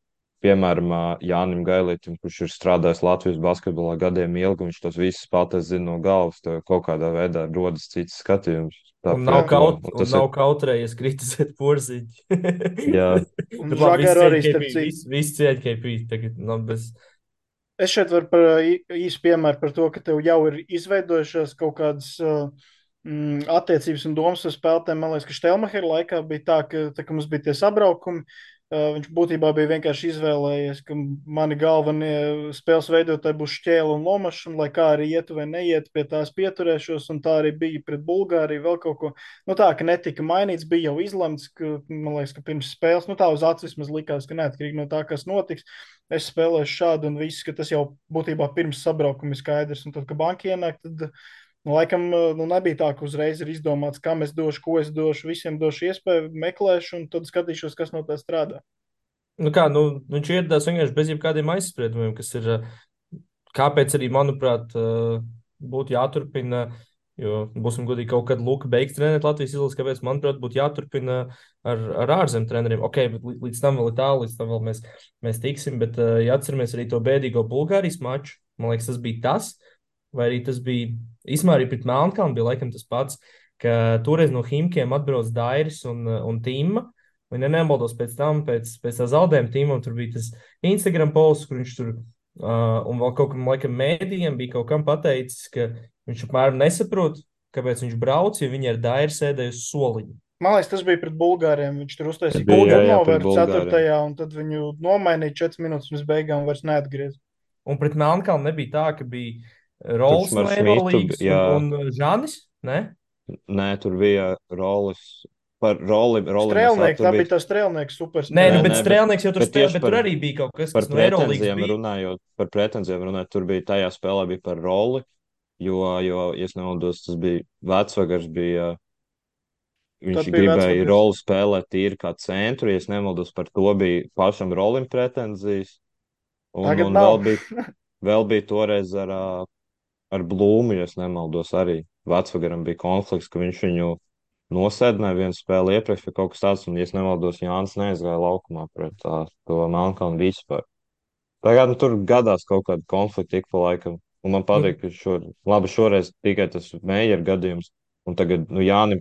B: piemēram, Jānim Gailītam, kurš ir strādājis Latvijas basketbolā gadiem ilgi, viņš tos visus spēlētājus zina no galvas, to kaut kādā veidā rodas cits skatījums. Tā
A: un nav,
B: pretmā, un
A: un
B: tas ir,
A: nav kautrējies kritizēt porziņu.
B: jā,
C: Un
A: Bet labi,
C: Žagaru arī starp citu.
A: visi cieņ KP. Tagad, nu, bez...
C: Es šeit varu par īsu piemēru par to, ka tev jau ir izveidojušās kaut kādas attiecības un domas ar spēlētājiem. Man liekas, ka Štelmachera laikā bija tā, ka mums bija tie sabraukumi. Viņš būtībā bija vienkārši izvēlējies, ka mani galvenie spēles veidotāji būs Šķēle un Lomašs, un lai kā arī ietu vai neietu, pie tās pieturēšos, un tā arī bija pret Bulgāriju, vēl kaut ko. Nu tā, ka netika mainīts, bija jau izlemts, ka, man liekas, ka pirms spēles, nu tā uz acis vismaz likās, ka neatkarīgi no tā, kas notiks, es spēlēšu šādu un viss, ka tas jau būtībā pirms sabraukuma ir skaidrs, un tad, kad banka ienāk, tad nu, laikam, nu, nebija tā, ka uzreiz ir izdomāts, kam es došu, ko es došu. Visiem došu iespēju, meklēšu, un tad skatīšos, kas no tā strādā.
A: Nu kā, nu, viņš ieradās vienkārši bez jebkādiem aizspriedumiem, kas ir, kāpēc arī, manuprāt, būtu jāturpina, jo, būsim godīgi, kaut kad Luka beigs trenēt Latvijas izlases, kāpēc, manuprāt, būtu jāturpina ar ārzem treneriem. Ok, bet līdz tam vēl ir tālu, līdz tam vēl mēs tiksim, bet, ja atceramies arī to bēdīgo Bulgārijas maču, man liekas, tas bija tas, vai arī tas bija, īsumā arī pret Melnkalnu bija laikam tas pats, ka toreiz no Himkiem atbrauc Dairis un Tīma. Un, ja nemaldos pēc tam, pēc tā zaudējuma tīmam, tur bija tas Instagram posts, kur viņš tur, un vēl kaut kam, laikam, mēdījiem bija kaut kam pateicis, ka viņš apmēram nesaprot, kāpēc viņš brauc, ja viņi ar Dairu sēdēja uz soliņa.
C: Man liekas, tas bija pret Bulgāriem. Viņš tur uztaisīja
B: Bija, jā, jā, pret
C: turnoveru
B: Bulgāriem.
C: 4. un tad viņu nomainīja 4 minūtes pirms beigām, vairs neatgriez.
A: Un pret Melnkalnu nebija tā, ka bija
B: Tur
A: Rols no
B: ar Šmitu,
A: Eurolīgas
B: jā,
A: un Žanis, ne?
B: nē, tur bija rolis. Par roli mēs
C: Strēlnieks,
B: tur
C: tā
B: bija.
C: bija tā strēlnieks,
A: Nē, nu,
B: Nē,
A: bet
B: nē,
C: superstrēlnieks.
A: Strēlnieks jau tur
B: bet
A: spēlē,
B: tieši
A: bet tur arī bija kaut kas,
B: par
A: kas no Eurolīgas
B: pretenzijām
A: bija.
B: runājot, tur bija tajā spēlē bija par roli, jo, ja es nemaldos, tas bija Vecvagars bija. Viņš
C: Tad bija
B: gribēja
C: vecvakars.
B: roli spēlēt tīri kā centru, ja es nemaldos, par to bija pašam rolim pretenzijas.
C: Tagad
B: Un
C: nav.
B: vēl bija toreiz ar Blūmu, ja es nemaldos, arī Vecvagaram bija konflikts, ka viņš viņu nosēdināja vienu spēli iepriekš vai kaut kas tāds, un, ja es nemaldos, Jānis neaizgāja laukumā pret to Melnkalnu vispār. Tagad nu, tur gadās kaut kāda konflikta ik pa laikam. Un man
A: Nu,
B: patīk, ka labi, šoreiz tikai tas Meijera gadījums. Un tagad nu, Jānim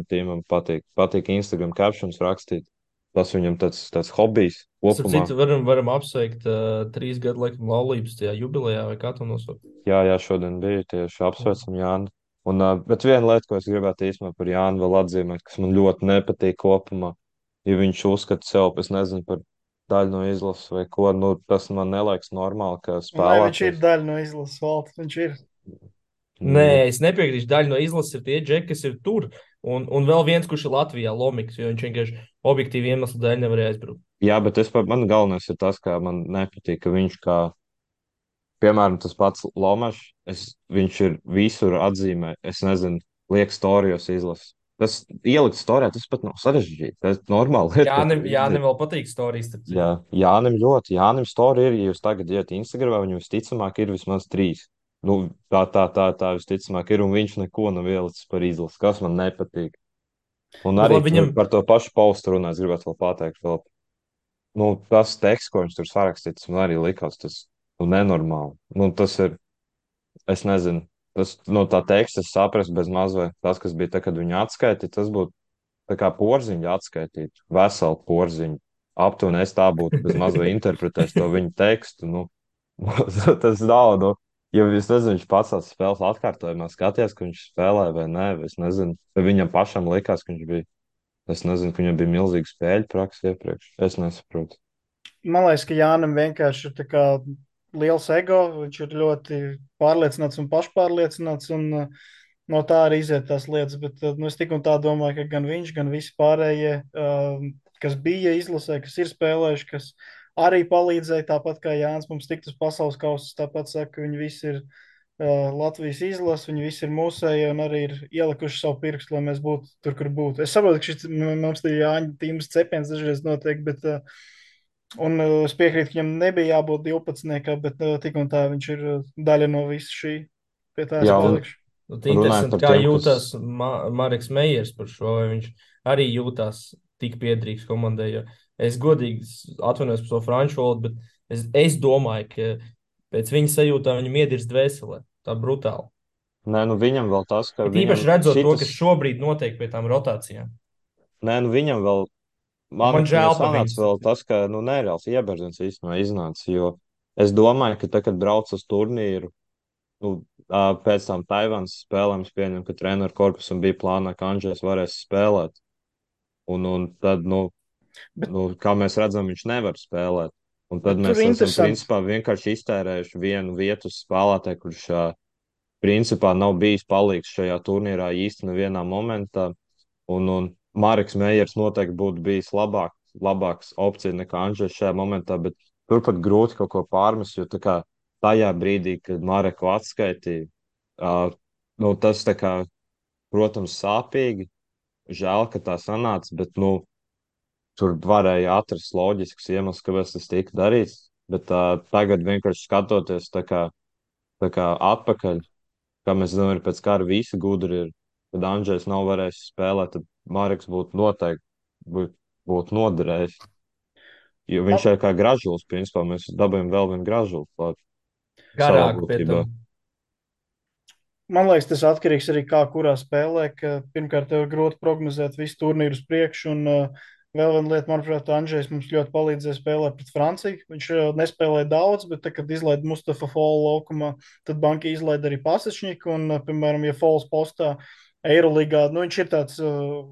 B: Tīmam patīk Instagram captions rakstīt. Tas viņam tāds hobijs
A: starp
B: kopumā.
A: citu, varam apsveikt 3 gadu laikam laulības tajā jubilejā, vai kā to nosaukt.
B: Jā, šodien bija tieši apsveicam Jāni. Bet viena lieta, ko es gribētu īstenībā par Jānu vēl atzīmēt, kas man ļoti nepatīk kopumā, ja viņš uzskata sev, es nezinu, par daļu no izlases vai ko, nu, tas man neliekas normāli, ka
C: Nē, viņš ir
B: spēlētājs.
C: daļa no izlases valsts. Viņš ir.
A: Nē,
B: Nu,
A: es nepiekrītu. Daļa no izlases ir tie džeki, kas ir tur. Un vēl viens, kurš ir Latvijā, Lomiks, jo viņš vienkārši objektīvi iemeslu dēļ nevarēja aizbraukt.
B: jā, bet man galvenais ir tas, ka man nepatīk, ka viņš kā, piemēram, tas pats Lomašs, viņš ir visur atzīmē, es nezinu, liek storijos izlases. Tas ielikt storijā, tas pat nav sarežģīti. Tas ir normāli lieta, ko tu vari
A: Jānim
B: izdarīt.
A: vēl patīk stāstīt, starp
B: Jā,
A: citu.
B: Jānim storija ir, ja jūs tagad iet Instagramā, viņam visticamāk ir vismaz 3. Nu, tā visticamāk ir, un viņš neko nav ielicis par izlasi, kas man nepatīk. Un
A: Bet
B: arī
A: labi, viņam,
B: par to pašu paustu runāt, es gribētu vēl pateikt, vēl, nu, tas teksts, ko viņš tur sarakstīts, man arī likās tas nu, nenormāli. Nu, tas ir, es nezinu, tas no tā teksta es saprastu bez mazliet, tas, kas bija tad, kad viņu atskaitīja, tas būtu tā kā porziņu atskaitīt, veselu porziņu. Aptuveni es tā būtu bez mazliet interpretējis to viņa tekstu. Nu, tas nav. Nu, ja es nezinu, viņš pats tās spēles atkārtojumā skatījās, ka viņš spēlēja vai nē, vai es nezinu. Vai viņam pašam likās, ka viņš bija. Es nezinu, ka viņam bija milzīga spēļu praksa iepriekš. Es nesaprotu.
C: Man liekas, ka Jānam vienkārši ir tā kā liels ego. Viņš ir ļoti pārliecināts un pašpārliecināts. Un, no tā arī iziet tās lietas. Bet nu, es tik un tā domāju, ka gan viņš, gan visi pārējie, kas bija izlasē, kas ir spēlējuši, kas arī palīdzēja, tāpat kā Jānis mums tikt uz pasaules kausa, tāpat saka, ka viņi visi ir Latvijas izlase, viņi visi ir mūsēji un arī ir ielikuši savu pirkstu, lai mēs būtu tur, kur būtu. Es saprotu, ka šis mums ir Jāņa tīmas cepiens dažreiz notiek, bet es piekrītu, ka viņam nebija jābūt 12, bet tik un tā viņš ir daļa no visa šī. Pie tā es
B: Jā, un
C: palikšu.
B: runājot
A: interesanti,
B: par
A: kā
B: tiem, kas.
A: jūtas Marks Meijers par šo, vai viņš arī jūtās tik piederīgs komandai. Jo es godīgi atvainojos par to franču valodu, bet es domāju, ka pēc viņa sajūtām viņam iedirst dvēselē. Tā brutāli.
B: Nē, nu viņam vēl tas, ka
A: It
B: viņam
A: īpaši redzot to,
B: šitas.
A: kas šobrīd notiek pie tām rotācijām.
B: Nē, nu viņam vēl.
A: Un man
B: Viņam
A: žēl par
B: sanāca vēl
A: viņu.
B: tas, ka nu, nereāls ieberziens īstenībā iznāca. Jo es domāju, ka tad, kad brauc uz turnīru, nu, pēc tam Taivānas spēlēm, es pieņemu, ka treneru korpusam bija plānā, ka Andrzejs varēs spēlēt. Un tad,
C: Bet
B: kā mēs redzam, viņš nevar spēlēt. Un tad
C: tur
B: mēs
C: ir
B: esam
C: interesanti.
B: principā vienkārši iztērējuši vienu vietu uz spēlētāju, kurš principā nav bijis palīgs šajā turnīrā īsti nevienā momentā. Un Marks Meijers noteikti būtu bijis labāks opcija nekā Andrzejs šajā momentā, bet turpat grūti kaut ko pārmest, jo tā kā tajā brīdī, kad Mareku atskaitīja, tas tā kā, protams, sāpīgi, žēl, ka tā sanāca, bet, nu, tur varēja atrast loģisks iemesls, kāpēc tas tika darīts. Bet tagad vienkārši skatoties tā kā atpakaļ, kā mēs zinām, ir pēc kara visi gudri ir. Kad Andrzejs nav varējis spēlēt, tad Marks būtu noteikti būtu noderējis. Jo viņš
C: Man,
B: ir kā gražulis, principā mēs dabūjam vēl vienu gražuli klāt savā
A: Garāk pie
B: būtībā.
A: tam.
C: man liekas, tas atkarīgs arī kā kurā spēlē, ka pirmkārt tev ir grūti prognozēt visu turnīru uz priekšu, un vēl viena lieta, manuprāt, Andrzejs mums ļoti palīdzēja spēlēt pret Franciju. Viņš nespēlēja daudz, bet tad, kad izlaida Mustafa Folu laukumā, tad banka izlaida arī Pasečņiku, un, piemēram, ja Fols postā Eirolīgā, nu viņš ir tāds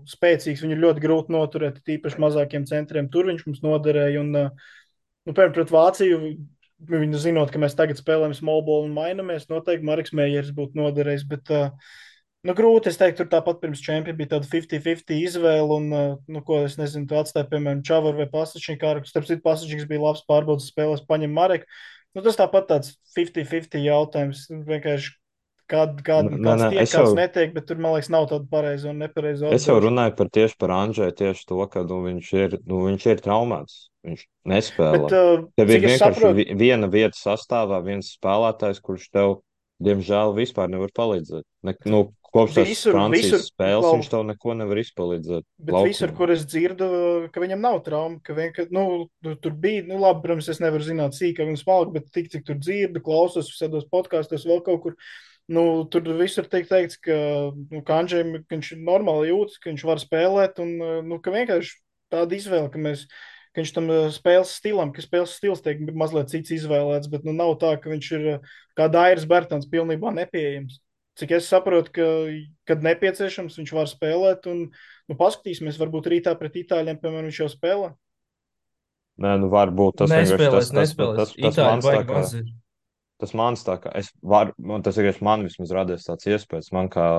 C: spēcīgs, viņu ir ļoti grūti noturēt, tīpaši mazākiem centriem, tur viņš mums noderēja, un, nu, piemēram, pret Vāciju, viņi zinot, ka mēs tagad spēlējam small ball un mainamies, noteikti Marks Meijers būtu noderējis, bet, nu, grūti, es teiktu, tur tāpat pirms čempiona bija tāda 50-50 izvēle, un, nu, ko es nezinu, tu atstāji, piemēram, Čavaru vai Pasačņiku, starp citu, Pasačņiks bija labs pārbaudas spēlēs, paņem Mareku, nu, tas tāpat tāds 50-50 jautājums, vienkārši
B: Nē,
C: kāds
B: nē,
C: tiek, kāds netiek, bet tur, man liekas, nav tāda pareiza un nepareiza
B: es jau
C: atbilžu.
B: runāju tieši par Andžēju, tieši to, ka viņš ir traumēts. Viņš
C: Bet,
B: nespēlē. Tev ir
C: cik es
B: vienkārši
C: saprotu,
B: viena vieta sastāvā, viens spēlētājs, kurš tev, diemžēl, vispār nevar palīdzēt. Nu, kopš tās Francijas
C: visur,
B: spēles
C: klau,
B: viņš tev neko nevar izpalīdzēt
C: bet visur,
B: laukumā.
C: kur es dzirdu, ka viņam nav trauma, ka vienkārši, nu, tur bija, nu, labi, protams, es nevaru zināt sīkāk un smalki, bet tik, cik tur dzirdu, klausos visādos podkāstos, vēl kaut kur, nu, tur visur tiek teikts, ka, nu, Kanžēm, ka viņš normāli jūtas, ka viņš var spēlēt, un, nu, ka vienkārši tāda izvēle, ka viņš tam spēles stilam, ka spēles stils tiek mazliet cits izvēlēts, bet, nu, nav tā, ka viņš ir kā Dairis Bērtāns pilnībā nepieejams. Cik es saprotu, ka, kad nepieciešams, viņš var spēlēt, un, nu, paskatīsimies, varbūt rītā pret Itāļiem, piemēram, viņš jau spēlē.
B: Nē, nu varbūt tas vienkārši
A: Nespēlēs.
B: tas
A: Itāļi
B: mans tā
A: baigi
B: kā.
A: maz ir.
B: Tas mans tā kā, tas vienkārši man vismaz radies tāds iespējas, man kā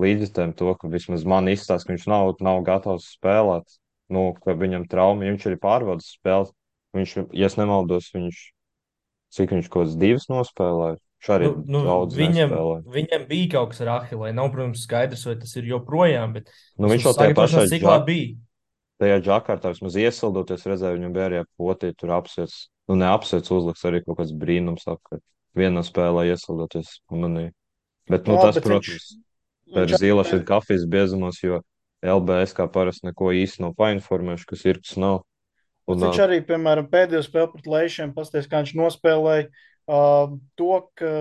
B: līdzjutējiem to, ka vismaz man izstāsta, ka viņš nav gatavs spēlēt, nu, ka viņam trauma, ja viņš arī pārvaldes spēles, ja es nemaldos, cik viņš kaut kāds divas nospēlēja, viņš arī
A: Nu,
B: daudz nespēlēja.
A: viņam bija kaut kas ar Ahilē. Nav, protams, skaidrs, vai tas ir joprojām, bet
B: Nu, viņš
A: vismaz
B: jau
A: sagatavošanās ciklā bija.
B: tajā džakartā vismaz iesildoties, redzēju, viņam bija arī potī, tur apsiets, nu, neapsiets uzliks arī kaut kāds brīnums, ka vienā spēlē iesildoties manī. Bet,
C: Nu,
B: nu,
C: labi,
B: tas,
C: bet
B: protams, tā
C: viņš
B: ir
C: arī,
B: zīle šeit kafijas biezumos, jo LBS kā parasti neko īsti nav painformējuši, kas ir, kas nav.
C: bet
B: Un,
C: viņš arī, piemēram, pēdējo spēli pret Leišiem, pasties, kā viņš nospēlēja to, ka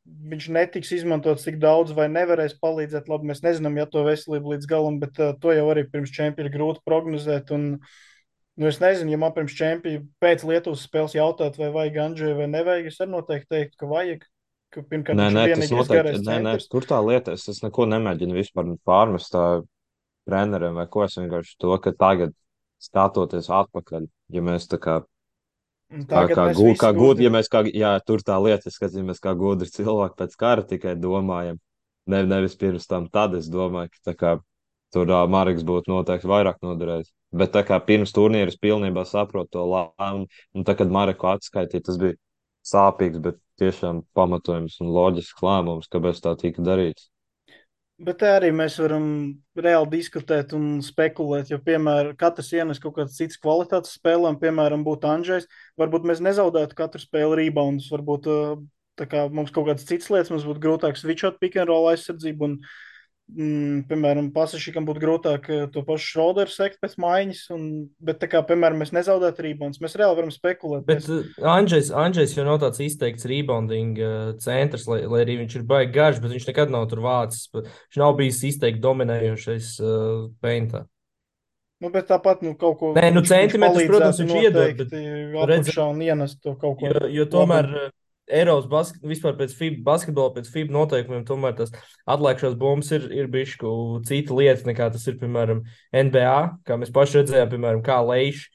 C: viņš netiks izmantots tik daudz vai nevarēs palīdzēt. Labi, mēs nezinām, ja to veselību līdz galam, bet to jau arī pirms čempiona ir grūti prognozēt. Un, nu, es nezinu, ja man pirms čempiona pēc Lietuvas spēles jautāt, vai vajag Andžēju vai nevajag, es arī noteikti teiktu, ka vajag. Ka, pirmkārt,
B: nē,
C: viņš
B: nē,
C: ir
B: tas
C: vienīgais
B: noteikti,
C: garais
B: nē,
C: centrs.
B: tur tā lieta, es neko nemēģinu vispār pārmest tā treneriem vai ko, es vienkārši to, ka tagad skatoties atpakaļ, ja mēs tā kā
C: Un tagad mēs visi
B: Ja
C: gudri.
B: mēs jā, tur tā lieta, es skatījamies, kā gudri cilvēki pēc kara tikai domājam, nevis pirms tam, tad es domāju, ka tā kā tur Marks būtu noteikti vairāk noderējis. Bet tā kā pirms turnīra es pilnībā saprotu to lēmumu, un tā, kad Mareku atskaitīja, tas bija sāpīgs, bet tiešām pamatojums un loģisks lēmums, kāpēc tā tika darīts.
C: Bet te arī mēs varam reāli diskutēt un spekulēt, jo, piemēram, katrs ienes kaut kādas citas kvalitātes spēlēm, piemēram, būtu Andrzejs. Varbūt mēs nezaudētu katru spēli reboundus, varbūt tā kā mums kaut kādas citas lietas, mums būtu grūtāk switchot pick and roll aizsardzību, un, piemēram, Pasašikam būtu grūtāk to pašu Šroderu sekt pēc maiņas, bet, tā kā, piemēram, mēs nezaudētu reboundus, mēs reāli varam spekulēt.
A: Bet Andrzejs jau nav tāds izteikts rebounding centrs, lai arī viņš ir baigi garš, bet viņš nekad nav tur vācis. Viņš nav bijis izteikti dominējošais peintā.
C: Nu, bet tāpat, nu, kaut ko
A: Nē, nu
C: viņš
A: centimetrus, protams,
C: palīdzētu
A: viņš iedod, bet
C: noteikti
A: redzam,
C: apakšā un ienest to kaut ko
A: jo tomēr
C: labumu.
A: Eiropas vispār pēc FIBA basketbola, pēc FIBA noteikumiem, tomēr tas atlēkšās bumbas ir bišku cita lieta nekā tas ir, piemēram, NBA, kā mēs paši redzējām, piemēram, kā Leiši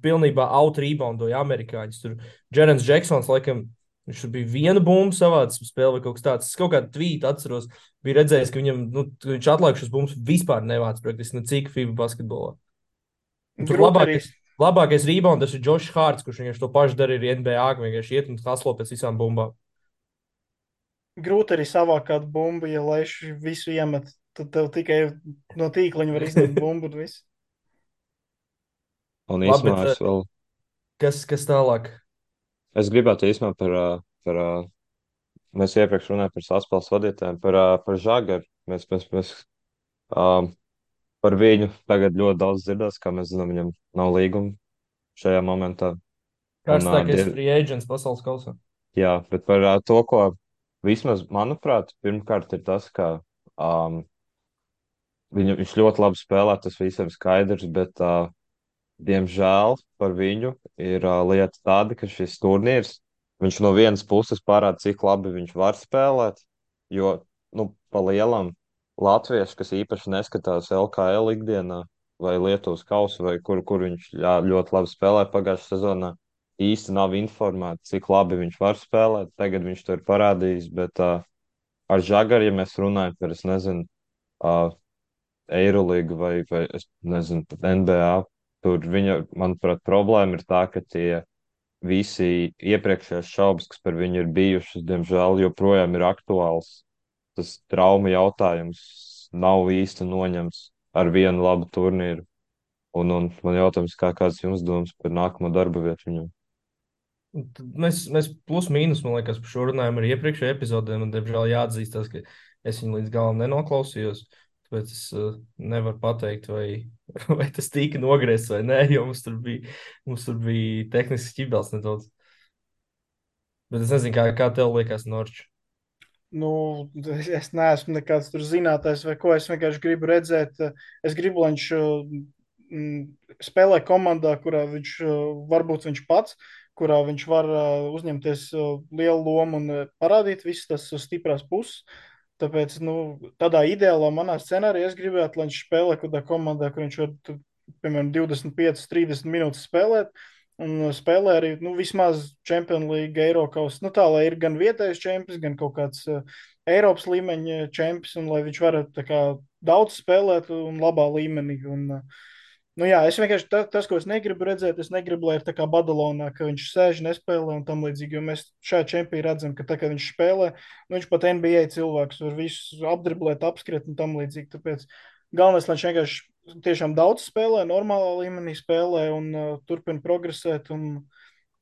A: pilnībā out-reboundoja amerikāņus. Tur Džerens Džeksons, laikam, viņš tur bija viena bumba savāds spēlē vai kaut kas tāds. Es kaut kādu tvītu atceros, bija redzējis, ka viņam, nu, viņš atlēkšas bumbas vispār nevāc praktiski necik FIBA basketbolā. Un tur
C: Grūti arī.
A: labākais rebounders ir Džošs Hārts, kurš vienkārši to pašu dara arī NBA, ka vienkārši iet un haslo pēc visām bumbām.
C: Grūti arī savākt kādu bumbu, ja laiši visu iemet. Tad tev tikai no tīkliņa var izņemt bumbu un viss.
B: Un
A: Labi, bet
B: īsumā es vēl,
A: kas tālāk?
B: es gribētu īsumā par mēs iepriekš runājām par saspēles vadītājiem, par Žagaru. Mēs um, par viņu tagad ļoti daudz dzirdēs, kā mēs zinām, viņam nav līguma šajā momentā. Un,
A: Karstākais free agents pasaules kausā.
B: jā, bet par to, ko vismaz, manuprāt, pirmkārt ir tas, ka viņš ļoti labi spēlē, tas visiem skaidrs, bet, diemžēl, par viņu ir lieta tāda, ka šis turnīrs, viņš no vienas puses parāda, cik labi viņš var spēlēt, jo, nu, pa lielam latvieši, kas īpaši neskatās LKL ikdienā, vai Lietuvas kausu, vai kur viņš ļoti labi spēlē pagājušajā sezonā, īsti nav informēti, cik labi viņš var spēlēt. Tagad viņš to ir parādījis, bet ar Žagaru, ja mēs runājam par, es nezinu, uh, Eirolīgu vai es nezinu, pat NBA. Tur viņa, manuprāt, problēma ir tā, ka tie visi iepriekšējās šaubas, kas par viņu ir bijušas, diemžēl joprojām ir aktuāls. Tas trauma jautājums nav īsti noņemts ar vienu labu turnīru. Un man jautājums, kāds jums domas par nākamo darba vietu viņam?
A: Un tad mēs plus mīnus, man liekas, par šo runājām arī iepriekšējā epizodē. Man, diemžēl, jāatzīstās, ka es viņu līdz galam nenoklausījos. Tāpēc es nevaru pateikt, vai, vai tas tika nogriezts vai nē, jo mums tur bija tehnisks ķibels nedaudz. Bet es nezinu, kā tev liekas, Norčs.
C: Nu, es neesmu nekāds tur zinātājs vai ko. Es vienkārši gribu redzēt, es gribu, lai viņš spēlē komandā, kurā varbūt viņš pats, kurā viņš var uzņemties lielu lomu un parādīt visas tas stiprās puses. Tāpēc, nu, tādā ideālā manā scenārijā es gribētu, lai viņš spēlē kaut kādā komandā, kur viņš var, piemēram, 25, 30 minūtes spēlēt. Un spēlē arī nu, vismaz Champions League, Eiropas. Nu, tā lai ir gan vietējais čempions, gan kaut kāds Eiropas līmeņa čempions, un lai viņš varētu daudz spēlēt un labā līmenī. Un, nu, jā, es vienkārši tas, ko es negribu redzēt, es negribu, lai ir tā kā Badalonā, ka viņš sēž, nespēlē un tam līdzīgi. Jo mēs šajā čempionā redzam, ka tā kā viņš spēlē, nu, viņš pat NBA cilvēks var visus apdriblēt, apskriet un tam līdzīgi. Tāpēc galvenais, lai viņš vienkārši tiešām daudz spēlē, normālā līmenī spēlē un turpina progresēt. Un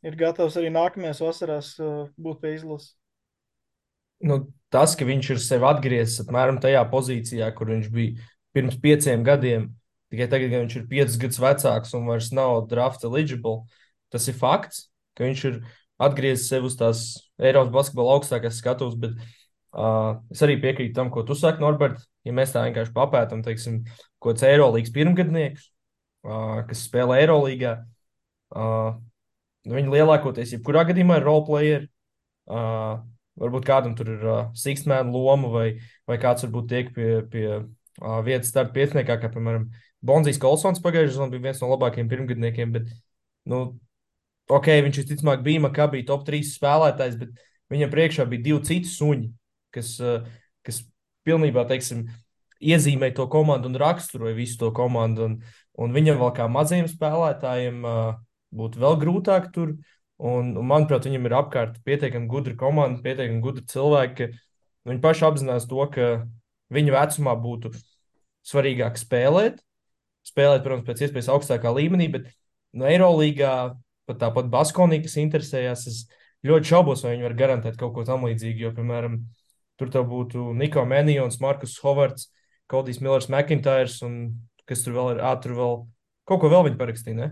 C: ir gatavs arī nākamajās vasarās būt pie izlases.
A: Nu, tas, ka viņš ir sev atgriezis apmēram tajā pozīcijā, kur viņš bija pirms 5 gadiem, tikai tagad, kad viņš ir 5 gadus vecāks un vairs nav draft eligible, tas ir fakts, ka viņš ir atgriezis sev uz tās Eiropas basketbola augstākās skatuves. Bet es arī piekrītu tam, ko tu saki, Norbert. Ja mēs tā vienkārši papētām, teiksim, ko tas Eirolīgas pirmgadnieks, kas spēlē Eirolīgā, viņi lielākoties, jebkurā gadījumā, ir roleplayeri. Varbūt kādam tur ir sixth-man loma, vai kāds varbūt tiek pie vietas starta pieciniekā, kā piemēram Bonzijs Kolsons pagājušajā sezonā bija viens no labākajiem pirmgadniekiem. Bet, nu, ok, viņš visticamāk bija Makabī top 3 spēlētājs, bet viņam priekšā bija 2 citi suņi, kas pilnībā, teiksim, iezīmē to komandu un raksturoja visu to komandu. Un viņam vēl kā mazajiem spēlētājiem būtu vēl grūtāk tur. Un, manuprāt, viņam ir apkārt pietiekami gudra komanda, pietiekami gudri cilvēki, ka viņi paši apzinās to, ka viņa vecumā būtu svarīgāk spēlēt. Spēlēt, protams, pēc iespējas augstākā līmenī, bet no Eirolīgā, pat tāpat Baskonī, kas interesējās, es ļoti šaubos, vai viņi var garantēt kaut ko tam līdzīgu. Jo, piemēram, tur tev būtu Niko Menijons, Markus Hovards, Kodijs Millers, McIntyres un kas tur vēl ir. Tur vēl kaut ko vēl viņi parakstīja, ne?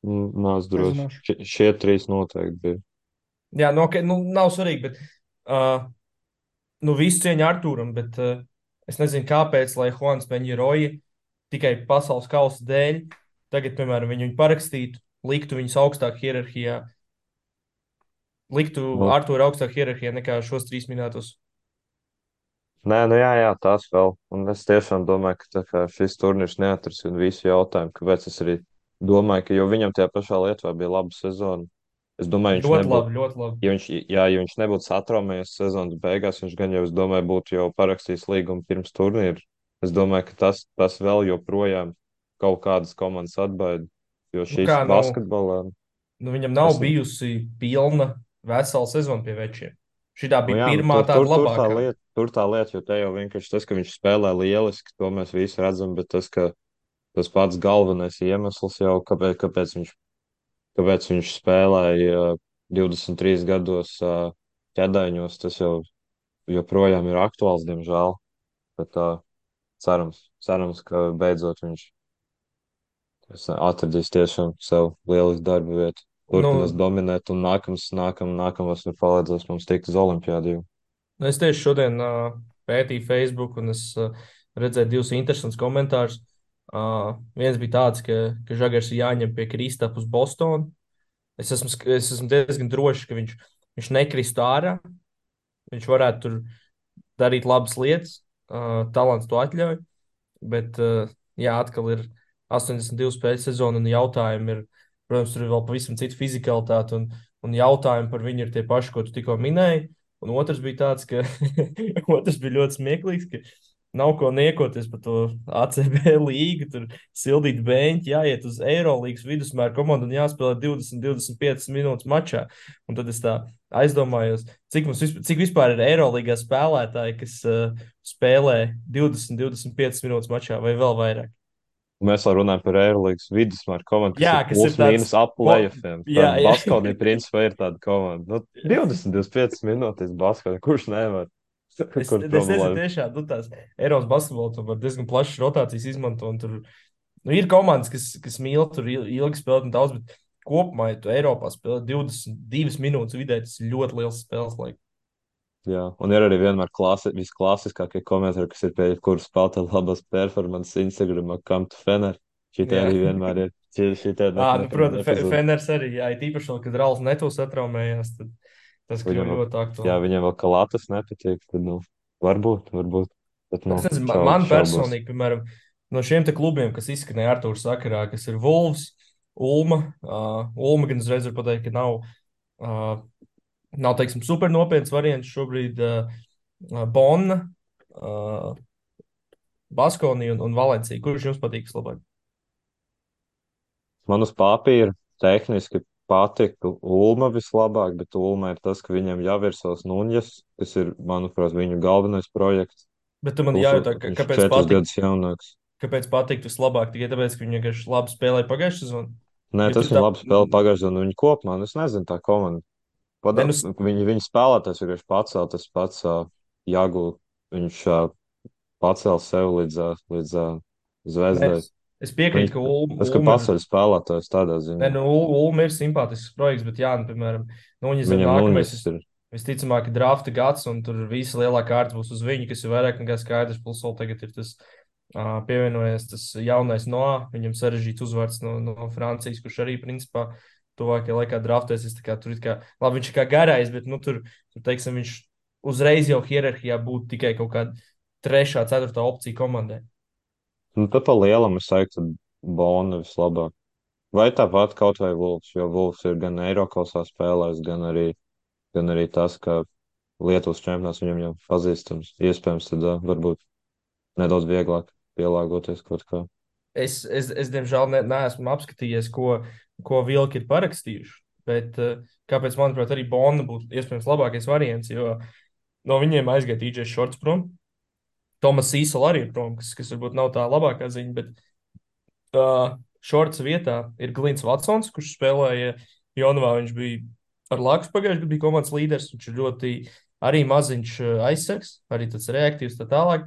B: Nē, es droši.
C: Nezināšu.
B: Šie trīs noteikti bija.
A: Jā, nu, nav svarīgi, bet nu, visu cieņu Artūram, bet es nezinu, kāpēc, lai Juans Peņģeroja tikai pasaules kausa dēļ tagad, piemēram, viņu parakstītu, liktu viņus augstāk hierarhijā, liktu
B: Nu,
A: Artūru augstāk hierarhijā nekā šos 3 minētos.
B: nē, nu jā, tas vēl. Un es tiešām domāju, ka tā kā šis turnīrs neatrisina visu jautājumu, kāpēc es arī domāju, ka jau viņam tajā pašā Lietuvā bija laba sezona. Es domāju, viņš
A: Ļoti
B: nebūtu,
A: labi, ļoti labi.
B: ja viņš nebūtu satraumējies sezonas beigās, viņš gan jau, es domāju, būtu jau parakstījis līgumu pirms turnīra. Es domāju, ka tas vēl joprojām kaut kādas komandas atbaida, jo
A: Nu,
B: šīs
A: kā nav,
B: basketbolā,
A: nu, viņam nav
B: es,
A: bijusi pilna vesela sezona pie večiem. Šitā
B: nu
A: bija
B: jā, nu
A: pirmā tāda labākā.
B: tur tā lieta, jo te jau vienkārši tas, ka viņš spēlē lieliski, to mēs visi redzam, bet tas, ka tas pats galvenais iemesls jau, kāpēc viņš spēlēja 23 gados ķēdaņos, tas jau joprojām ir aktuāls, diemžēl. Bet cerams, ka beidzot viņš atradīs tiešām sev lielisku darbu vietu, turpinās
A: Nu,
B: dominēt un nākamās ir palīdzēs mums tikt uz olimpiādu.
A: es tieši šodien pētīju Facebook, un es redzēju divus interesantus komentārus. Viens bija tāds, ka Žagars ir jāņem pie Kristapa uz Bostonu. Es esmu diezgan drošs, ka viņš nekristu ārā. Viņš varētu tur darīt labas lietas, talants to atļauj. Bet, jā, atkal ir 82 spēļu sezona, un jautājumi ir, protams, tur ir vēl pavisam cita fizikalitāte, un jautājumi par viņu ir tie paši, ko tu tikko minēji. Un otrs bija tāds, ka otrs bija ļoti smieklīgs, ka nav ko niekoties par to ACB līgu, tur sildīt beņķi, jāiet uz Eirolīgas vidusmēra komandu un jāspēlē 20-25 minūtes mačā. Un tad es tā aizdomājos, cik vispār ir Eirolīgā spēlētāji, kas spēlē 20-25 minūtes mačā vai vēl vairāk.
B: Mēs jau runājam par Eirolandes vidusmēru komandu, kas
A: Jā,
B: ir
A: kas ir
B: plus
A: tāds,
B: mīnus ap plēsoņiem.
A: jā,
B: Tāda
A: jā.
B: Baskovnija principā ir tāda komanda. Nu, 20-25 minūtes Baskovnija, kurš nevar?
A: Es,
B: Kur
A: es nezinu,
B: problēma?
A: tiešām, tās Eiropas basketbolā tur diezgan plašas rotācijas izmanto. Un tur ir komandas, kas mīl tur ilgi spēlēt un daudz, bet kopumā, ja tu Eiropā spēlē 22 minūtes vidē, tas ir ļoti liels spēles laiks.
B: Jā, un ir arī vienmēr visklasiskākie komentāri, kas ir pie kuras spēlētāja labas performances Instagram, kam tu fener. Šitie
A: Jā.
B: arī vienmēr ir. Šitie
A: Nu,
B: nekad
A: protams,
B: nepazūd.
A: Feners arī, jā, it īpaši, vēl, kad Rāls Netos atraumējās, tad tas
B: Viņam
A: kļuva
B: vēl,
A: ļoti
B: jā,
A: aktuāli.
B: viņam vēl Kalatas nepatīk, tad, nu, varbūt, bet, nu,
A: Es nezinu, man
B: šaubos.
A: personīgi, piemēram, no šiem te klubiem, kas izskanēja Artūra sakarā, kas ir Wolves, Ulma. Ulma gan uzreiz var pateikt, ka uh, nav teiksim, super nopietns variants šobrīd. Bonna, uh, Baskonija un Valencija. Kurš jums patīk vislabāk?
B: Man uz papīra tehniski patika Ulma vislabāk, bet Ulma ir tas, ka viņam jau ir savs Nuņas, kas ir, manuprāt, viņu galvenais projekts.
A: Bet tu man
B: Plus
A: jājautā,
B: viņš ir
A: kāpēc
B: 4
A: patīk?
B: gadus jaunāks.
A: Kāpēc patīk vislabāk? Tikai tāpēc, ka viņi vienkārši labi spēlēja pagājušā sezonā.
B: Nē,
A: Jo
B: tas
A: tur
B: viņa
A: tā,
B: labi spēlē pagājušajā, un viņa kopumā, nu, es nezinu, tā komanda.
A: ne, nu,
B: Viņa spēlētājs vienkārši pacēla tas pats Jāgu. Viņš pacēla sev līdz
A: ne,
B: zvezdai.
A: es piekrītu,
B: Viņš,
A: ka
B: tas, ka
A: Ulma ir.
B: paceļ spēlētājs tādā
A: Ne,
B: ziņā.
A: nu, Ulma ir simpātisks projekts, bet jā, nu, piemēram, Nuņas ir
B: Viņam
A: nākamais.
B: Nuņas ir.
A: Visticamāk, ir drafta gads, un tur visa lielā kārta būs uz viņu, kas ir vairāk nekā skaidrs. Plus, vēl tagad ir tas pievienojies tas jaunais Noā. Viņam sarežģīts uzvārds no Francijas, kurš arī, principā, tuvākajā laikā draftēsies. Tur ir kā, labi, viņš ir kā garais, bet, nu, tur teiksim, viņš uzreiz jau hierarhijā būtu tikai kaut kāda trešā, ceturtā opcija komandai.
B: Nu, tad pa lielam es teiktu, Bona vislabāk. Vai tāpat kaut vai Vulfs, jo Vulfs ir gan Eirokausā spēlējis, gan arī tas, ka Lietuvas čempionāts viņam jau pazīstams. Iespējams, tad varbūt nedaudz vieglāk pielāgoties kaut kā.
A: Diemžēl, neesmu apskatījies, ko Vilki ir parakstījuši. Bet kāpēc, manuprāt, arī Bona būtu iespējams labākais variants, jo no viņiem aizgāja DJs Šorts prom. Tomas Sīsela arī ir prom, kas varbūt nav tā labākā ziņa, bet Šorts vietā ir Glīns Vatsons, kurš spēlēja Jonavā. Viņš bija ar Laksu pagājušajā gadā, bija komandas līderis. Viņš ir ļoti arī maziņš aizsargs, arī tāds reaktīvs tā tālāk.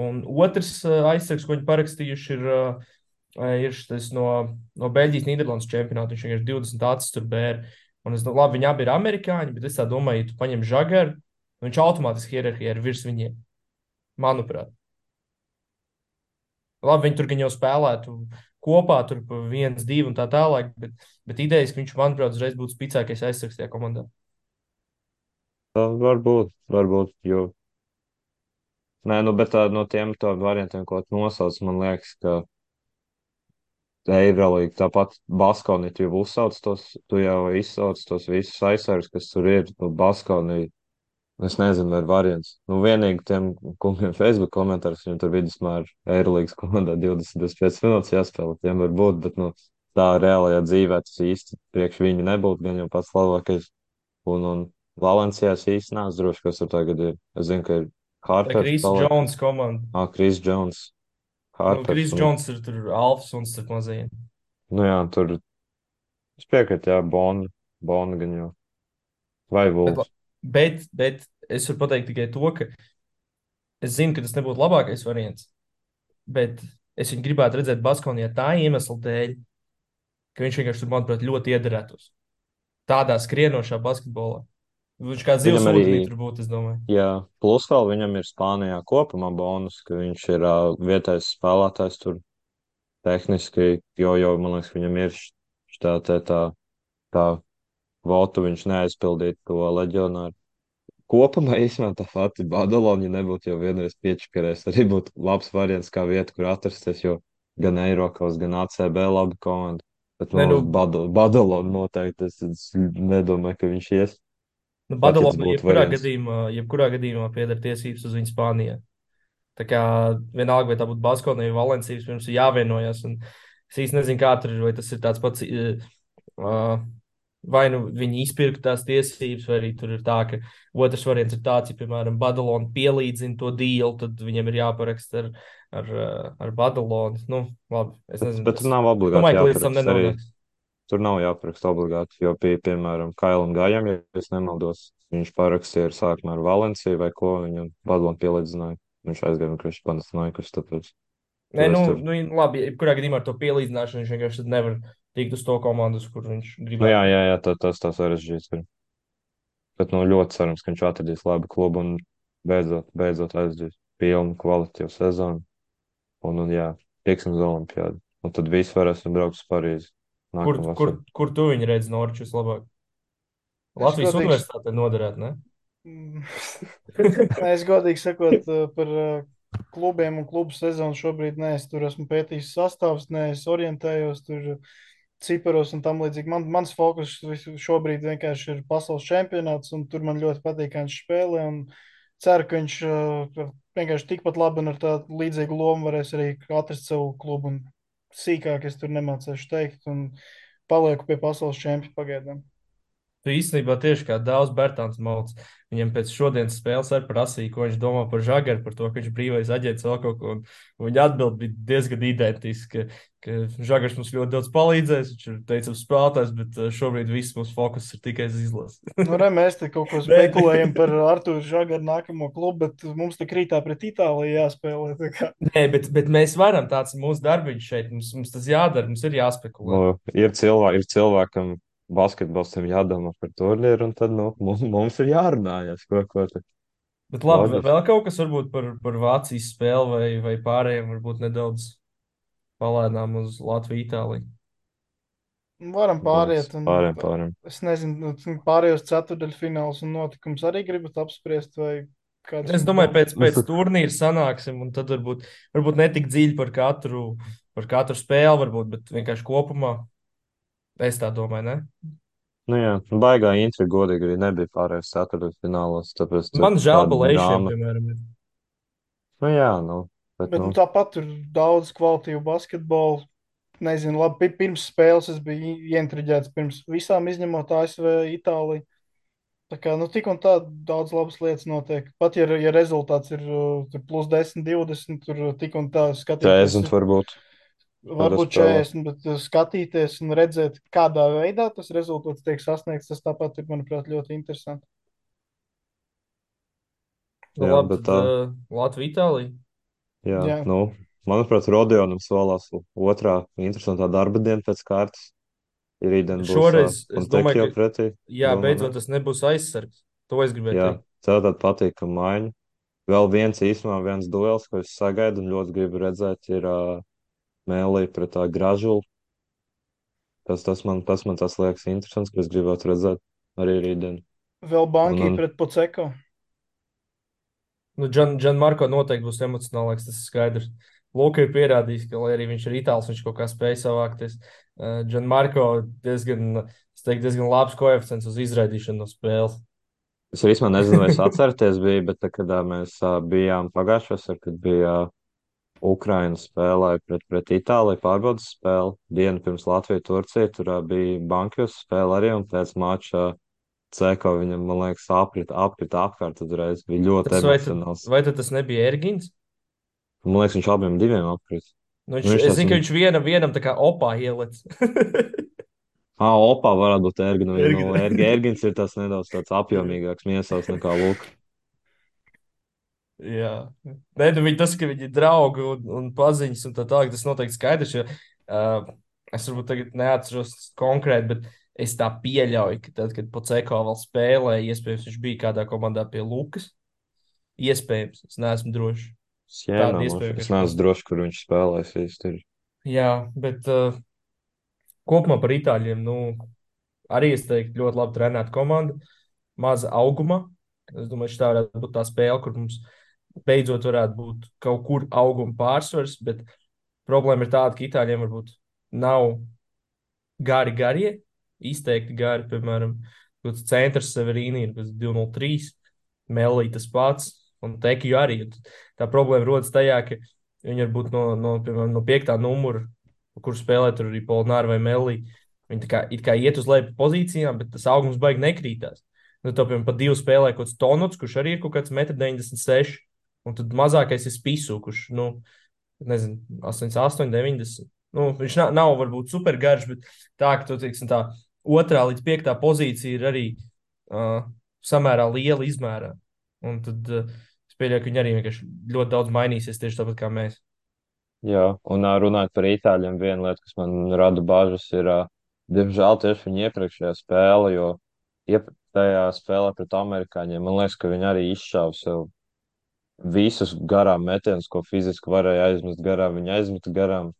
A: Un otrs aizsargs, ko viņi parakstījuši, ir šis no Beļģijas Nīderlandes čempionāta. Viņš vienkārši 20 acis tur bēr. Un labi, viņi abi ir amerikāņi, bet es tā domāju, ja tu paņem Žagaru, viņš automātiski hierarhijā ir virs viņiem, manuprāt. Labi, viņi tur gan jau spēlētu kopā, tur pa 1-2 un tā tālāk, bet idejas, ka viņš, manuprāt, uzreiz būtu spēcīgākais aizsargs tajā komandā.
B: Tā varbūt, jo. Nē, nu, bet no tiem variantiem, ko tu nosauc, man liekas, ka Eirolīga, tāpat Baskonija, tu jau izsauc tos visus aizsargus, kas tur ir. Nu, Baskonija, es nezinu, vai ir variants. Nu, vienīgi tiem kungiem Facebook komentārs, viņam tur vidusmēr Eirolīgas komandā 25 minūtes jāspēlē, tiem var būt, bet, nu, tā reālajā dzīvē tas īsti priekš viņu nebūtu, gan jau pats labākais. Un Valencijā es īsti neesmu drošs, kas tur tagad ir. Es zinu, ka ir
A: Tā
B: Harpers
A: Krīsa
B: paliek.
A: Jones komanda.
B: Kris Džons.
A: Nu,
B: Hārpers.
A: Kris Džons ir tur alfas un starp mazajiem.
B: Nu jā, tur es piekrītu, jā, Bona gan jau. Vai
A: Bet, la-
B: Vulfs.
A: bet es varu pateikt tikai to, ka es zinu, ka tas nebūtu labākais variants, bet es viņu gribētu redzēt Baskonijā tā iemesla dēļ, ka viņš vienkārši tur, manuprāt, ļoti iederētos. Tādā skrienošā basketbolā. Viņš kā zivs
B: Viņam arī,
A: ūdenī tur būtu, es domāju.
B: jā, plus vēl viņam ir Spānijā kopumā bonus, ka viņš ir vietējais spēlētājs tur tehniski, jo, man liekas, viņam ir tā votu, viņš neaizpildīja to leģionāru. Kopumā īstenībā tā pati Badalona, ja nebūtu jau vienreiz piečakarējis, arī būtu labs variants kā vieta, kur atrasties, jo gan Eiropas, gan ACB labi komanda. Bet
A: Nē,
B: no
A: nu,
B: uz Badalonu noteikti es nedomāju, ka viņš ies.
A: nu
B: Pat ja tas
A: Badalona
B: būtu variants.
A: jebkurā gadījumā pieder tiesības uz viņu Spānijā. Tā kā vienalga, vai tā būtu Baskonija vai Valencijas, pirms ir jāvienojas. Un es īsti nezinu, kā tur ir, vai tas ir tāds pats. Vai nu viņi izpirka tās tiesības, vai arī tur ir tā, ka otrs variants ir tāds, ja, piemēram, Badalona pielīdzina to dīlu, tad viņam ir jāparaksta ar Badalonu. Nu, labi, es nezinu.
B: Bet tur nav
A: Es
B: obligāti
A: domāju, ka līdz tam
B: jāparaksta arī.
A: nenonāks.
B: Tur nav jāparaksta obligāti, jo, piemēram, Kailam Gājam, ja es nemaldos, viņš parakstīja ar sākumā ar Valenciju vai ko, viņu Badalonu pielīdzināja. Viņš aizgāja no Krišs Panasnaikus, tāpēc
A: Nē,
B: tur
A: nu,
B: es tur.
A: nu labi, jebkurā gadījumā ar to pielīdzināšanu viņš vienkārši tad nevar tikt uz to komandu, uz kur viņš
B: Nu jā,
A: gribētu.
B: jā, jā, tas sarežģīts ir. Bet, nu, ļoti cerams, ka viņš atradīs labu klubu un beidzot aizdīs pilnu kvalitīvu sezonu. Un jā, tieksim uz Olimpiādu. Un tad visi varēsim braukt uz Parīzi
A: Kur,
B: nākamā
A: kur,
B: vasarā.
A: kur tu viņu redzi Norčus vislabāk?
C: Es
A: Latvijas
C: godīgi,
A: universitātē noderētu, ne?
C: Mm. Es godīgi sakot, par klubiem un klubu sezonu šobrīd neesmu tur esmu pētījis sastāvs, neesmu orientējos tur ciparos un tam līdzīgi. Mans fokus šobrīd vienkārši ir pasaules čempionāts, un tur man ļoti patīk, kā viņš spēlē, un ceru, ka viņš vienkārši tikpat labi un ar tādu līdzīgu lomu varēs arī atrast savu klubu, un sīkāk es tur nemācēšu teikt, un palieku pie pasaules čempiona pagaidām.
A: Tu īstenībā tieši kā Dāvs Bērtāns Malts. Viņam pēc šodienas spēles arī prasīja, ko viņš domā par Žagaru, par to, ka viņš brīvais aģents vēl kaut ko. Un viņa atbild bija diezgan identiska, ka Žagars mums ļoti daudz palīdzēs, viņš ir teicams spēlētājs, bet šobrīd viss mūsu fokus ir tikai uz izlasi.
C: Nu, re, mēs te kaut ko
A: Nē,
C: spekulējam par Artūru Žagaru nākamo klubu, bet mums te krītā pret Itāliju jāspēlē. Tā kā.
A: nē, bet mēs varam, tāds ir mūsu darbiņš šeit, mums tas jādara, mums ir jāspekulē.
B: Nu, ir cilvēkam basketbolistam jādomā par turnīru, un tad nu, mums ir jārunājas, ko tad
A: Bet labi,
B: loģiski.
A: vēl kaut kas varbūt par Vācijas spēli vai pārējiem, varbūt nedaudz palēnām uz Latviju, Itāliju.
C: Varam pāriet, un
B: Pāriem.
C: es nezinu, pārējos ceturdaļfināls un notikums arī gribat apspriest, vai kādas
A: Es
C: jums
A: domāju,
C: domas?
A: pēc turnīra sanāksim, un tad varbūt ne tik dziļi par katru spēli, varbūt, bet vienkārši kopumā. Es tā domāju, ne?
B: Nu jā, baigā intriga godīgi arī nebija pārējais ceturtfinālos, tāpēc tur
A: Man žēl
B: tāda
A: balēšiem,
B: drāma.
A: piemēram.
B: Nu jā, bet
C: Bet nu, tāpat tur daudz kvalitīvu basketbolu. Nezinu, labi, pirms spēles es biju ieintriģēts pirms visām izņemot ASV, Itāliju. Tā kā, nu, tik un tā daudz labas lietas notiek. Pat ja rezultāts ir tur plus 10, 20, tur tik un tā skatīties.
B: 40 varbūt kādā
C: Varbūt
B: spēlē.
C: 40, bet skatīties un redzēt, kādā veidā tas rezultāts tiek sasniegts, tas tāpat ir, manuprāt, ļoti interesanti.
A: Nu,
B: Jā,
A: labi,
B: bet
A: tad Latvija, Itālija.
B: jā,
C: Jā,
B: manuprāt, Rodionam solās otrā interesantā darba diena pēc kārtas. Ir rītdien būs
A: Šoreiz es domāju,
B: Fontekio
A: ka,
B: pretī.
A: jā,
B: Domā, ne?
A: beidzot tas nebūs aizsargs. To es gribēju
B: Jā,
A: teikt.
B: tātad patīkam maiņa. Vēl viens duels, ko es sagaidu un ļoti gribu redzēt, ir Mēlī pret Gražulu. Tas man liekas interesants, ka es gribētu redzēt arī rītdien.
C: vēl
B: Un,
C: Banki
B: un
C: pret Poceko.
A: Nu, Marko noteikti būs emocionālāks, tas ir skaidrs. Luka ir pierādījis, ka, lai arī viņš ir itālis, viņš kaut kā spēj savākties. Marko diezgan labs koeficients uz izraidīšanu no spēles.
B: es arī īstenībā nezinu, vai es atcerieties, bet tad, kad mēs bijām pagājušajā, kad bija Ukraina spēlēja pret Itāliju pārbaudas spēli, dienu pirms Latviju-Turcija, tur bija Bankjus spēle arī, un pēc mača Ceko viņam, man liekas, apkrita apkārt uzreiz. Bija ļoti
A: Tas
B: emocionāls.
A: vai tad tas nebija Ergins?
B: Man liekas, viņš abiem diviem apkrīt.
A: Nu,
B: Nu, viņš
A: es
B: tas
A: zinu, ka
B: un...
A: viņš vienam tā kā opā ieliec.
B: Opā varētu būt Ergina. Nu,
A: Ergin.
B: Ergins ir tas nedaudz tāds apjomīgāks miesās nekā Luka.
A: Jā, nē, nu, tas, ka viņi ir draugi un paziņas un tā tālāk, tas noteikti skaidrs. Jo, es varbūt tagad neatceros konkrēti, bet es tā pieļauju, ka tad, kad Poceko vēl spēlēja, iespējams, viņš bija kādā komandā pie Lukas. Iespējams, es neesmu drošs. Tāda
B: Sienamoši.
A: iespēja
B: Es
A: vienkārši
B: neesmu
A: pasaka.
B: drošs, kur viņš spēlēs īsti. Ir.
A: Jā, bet kopumā par itāļiem, nu, arī es teiktu, ļoti labi trenēta komanda, maza auguma. Es domāju, šī varētu būt tā spēle, kur mums beidzot varētu būt kaut kur auguma pārsvars, bet problēma ir tāda, ka itāļiem varbūt nav garie, izteikti gari, piemēram, kāds centrs Severīni ir 203, Melī tas pats, un Tekiju arī. Un tā problēma rodas tajā, ka viņi varbūt piemēram, no 5. numura, kur spēlē tur arī Polnāra vai Melī, viņi tā kā, it kā iet uz leju pozīcijām, bet tas augums baigi nekrītās. Nu, tā, piemēram, pa divu spēlē kaut kāds Tonots, kurš arī ir kaut kāds 1,96 m, un tad mazākais ir Spisu, kurš, nu, nezinu, 88, 90. Nu, viņš nav varbūt super garš, bet tā, ka tu, teiksim, tā 2. līdz 5. pozīcija ir arī samērā liela izmērā. Un tad es pieļauju, ka viņi arī vienkārši ļoti daudz mainīsies tieši tāpat kā mēs.
B: Jā, un runājot par itāļiem, viena lieta, kas man rada bažas, ir, diemžēl, tieši viņa iepriekšējā spēle, jo tajā spēlē pret amerikāņiem, man liekas, ka viņi arī izšāva sev visus garām metienus, ko fiziski varēja aizmest garām, viņi aizmeta garām.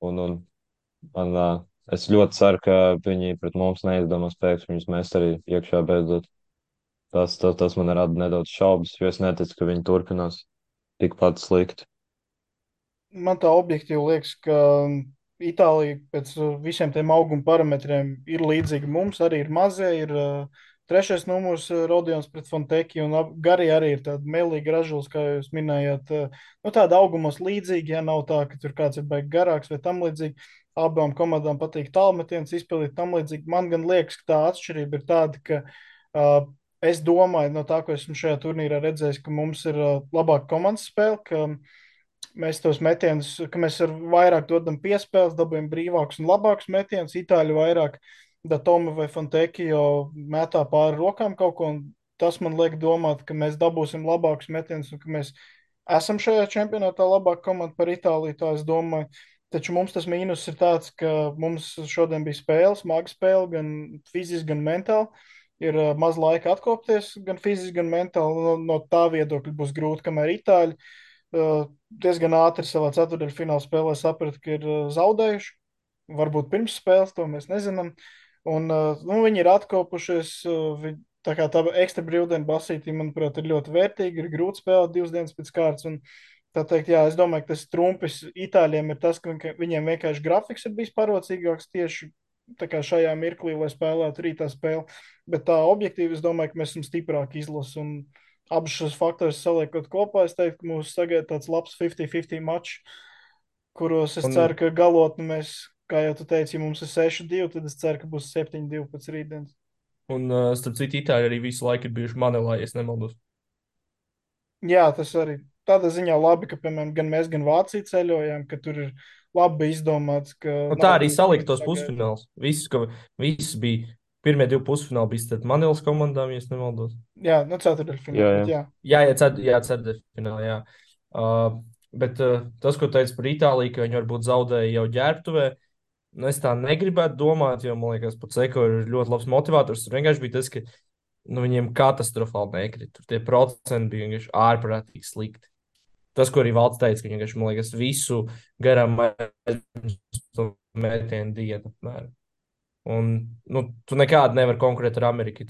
B: Un man, es ļoti ceru, ka viņi pret mums neizdomās pēkšņi viņus mest arī iekšā beidzot. Tas man rada nedaudz šaubas, jo es neticu, ka viņi turpinās tikpat slikti.
C: Man tā objektīvi liekas, ka Itālija pēc visiem tiem auguma parametriem ir līdzīga mums. Arī ir mazie, ir trešais numurs Rodions pret Fonteki, un Gari arī ir tāda melīga ražulis, kā jūs minējāt. Nu, tāda augumos līdzīga, ja nav tā, ka tur kāds ir baigi garāks vai tam līdzīgi. Abām komandām patīk tālmetiens, izpildīt tam līdzīgi. Man gan liekas, ka tā atšķirība ir tāda, ka es domāju, no tā, ko esmu šajā turnīrā redzējis, ka mums ir labāka komandas spēle, ka mēs tos metienus, ka mēs ar vairāk dodam piespēles, dabūjam brīvākus un labākus metienus. Itāļi vairāk Datome vai Fontekio metā pāri rokām kaut ko, un tas man liek domāt, ka mēs dabūsim labākus metienus un ka mēs esam šajā čempionātā labāka komanda par Itāliju, tā es domāju. Taču mums tas mīnus ir tāds, ka mums šodien bija spēle, smaga spēle, gan fiziski, gan mentāli. Ir maz laika atkopties, gan fiziski, gan mentāli. No tā viedokļa būs grūti, kamēr Itāļi diezgan ātri savā ceturdaļfināla spēlē saprata, ka ir zaudējuši. Varbūt pirms spēles, to mēs nezinām. Un, nu, viņi ir atkopušies. Tā kā tā ekstra brīvdiena basītī, manuprāt, ir ļoti vērtīga. Ir grūti spēlēt 2 dienas pēc kārtas. Un, tā teikt, jā, es domāju, ka tas trumpis Itāļiem ir tas, ka viņiem vienkārši grafiks ir bijis parocīgāks tieši tā kā šajā mirklī, lai spēlētu rītā spēli. Bet tā objektīvi, es domāju, ka mēs esam stiprāki izlasi. Un abus šos faktorus saliekot kopā, es teiktu, ka mūs sagaida tāds labs 50-50 mačs, kuros es ceru,
A: Un,
C: ka galotni mēs, kā jau tu teici, ja mums ir 6-2, tad es ceru, ka būs 7-2 pēc rītdienas.
A: starp citu, Itāļi arī visu laiku ir bijuši Manelā, ja es nemaldos.
C: Jā, tas arī tādā ziņā labi, ka, piemēram, gan mēs, gan Vācija ceļojām, ka tur ir labi izdomāts, ka
A: Un tā
C: nav
A: arī
C: bijis
A: salika tos
C: sagaida.
A: pusfināls. Viss bija. Pirmie 2 pusfināli bija starp Manelas komandām, ja es nemaldos.
C: Jā, nu
B: Jā,
C: ceturdaļfinālā,
B: jā.
C: bet jā.
A: Jā, ceturtfinālā, jā. Bet tas, ko teica par Itāliju, ka viņi varbūt zaudēja jau ģērbtuvē, nu, es tā negribētu domāt, jo man liekas, pats Eko ir ļoti labs motivators. Tur vienkārši bija tas, ka nu, viņiem katastrofāli nekrita. Tur tie procenti bija vienkārši ārprātīgi slikti. Tas, ko arī Valds teica, ka viņi vienkārši, man liekas, visu garām metienu dienu. Apmēram. Un nu, tu nekādi nevari konkurēt ar Ameriku, ja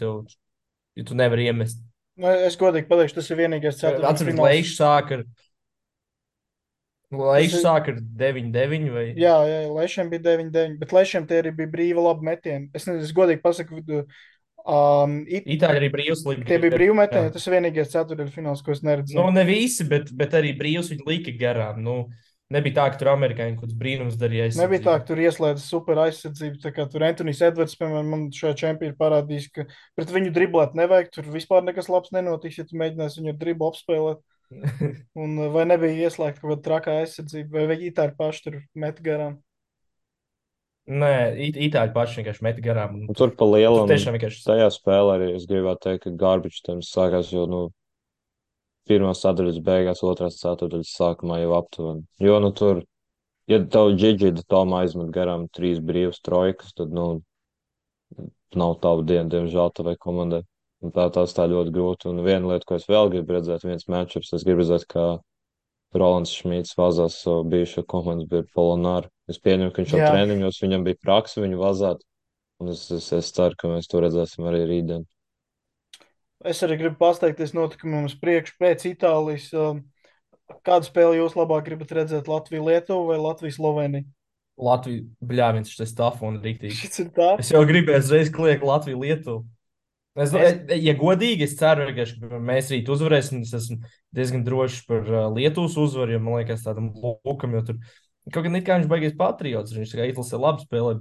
A: tu nevari iemest.
C: Nu, es godīgi pateikšu, tas ir vienīgais
A: Atceries,
C: ceturdaļfināls. Tas
A: Leišs
C: ir,
A: sāk ar 9-9 vai
C: jā, Lešiem bija 9-9, bet Lešiem tie arī bija brīva labi metieni. Es nezinu, es godīgi pasaku,
A: Itāļi arī brīvs
C: tie bija
A: lika
C: brīvi metieni,
A: garām.
C: tas ir vienīgais ceturdaļfināls, ko es
A: Nu,
C: neredzēju.
A: ne visi, bet arī brīvs viņi lika garām. Nu, nebija tā, ka tur amerikāņi kaut kāds brīnums darīja
C: Nebija tā,
A: aizsardzībā.
C: ka tur ieslēdz super aizsardzību. Tā kā tur Antonijs Edvards, piemēram, man šajā čempionā parādījis, ka pret viņu driblēt nevajag. Tur vispār nekas labs nenotiks, ja tu mēģināsi viņu driblu apspēlēt. Un vai nebija ieslēgta kaut kāda trakā aizsardzība, vai viņi tā ir paši tur met garām?
A: Nē, itāļi paši vienkārši met garām. Un
B: Un
A: tur,
B: tur pa
A: tur
B: lielam
A: tiešām vienkārši.
B: tajā spēlē arī es gribētu teikt, ka garbage time sākās jau, nu, pirmās ceturdaļas beigās, otrās ceturdaļas sākumā jau aptuveni. Jo, nu, tur, ja tev Džidžida Toma aizmet garām trīs brīvas trojkas, tad, nu, nav tavu dienu, diemžēl, tavai komandai. Un tas tā ļoti grūti. Un viena lieta, ko es vēl gribu redzēt, viens matchups, es gribu redzēt, kā Rolands Šmīts vazās savu bijušo komandas biedru Polonāru. Es pieņemu, ka viņš jau
C: Jā,
B: treniņos, viņam bija praksa viņu vazāt. Un es ceru, ka mēs to redzēsim arī rītdien.
C: es arī gribu pasteikties notikumiem uz priekšu pēc Itālijas. Kādu spēli jūs labāk gribat redzēt? Latviju-Lietuvu vai Latviju-Sloveniju?
A: Latvija, bļāviens, šis stāv un rīktīgi.
C: Šis ir tā.
A: Es jau gribēju uzreiz kliegt Latviju-Lietuvu.
C: Es,
A: Ja godīgi, es ceru, ka mēs rīt uzvarēsim. Es esmu diezgan drošs par Lietuvas uzvaru, jo man liekas, tādam lūkam, jo tur kaut gan it kā viņš baigies patriots. Viņš tikai izlasē labi spēlē,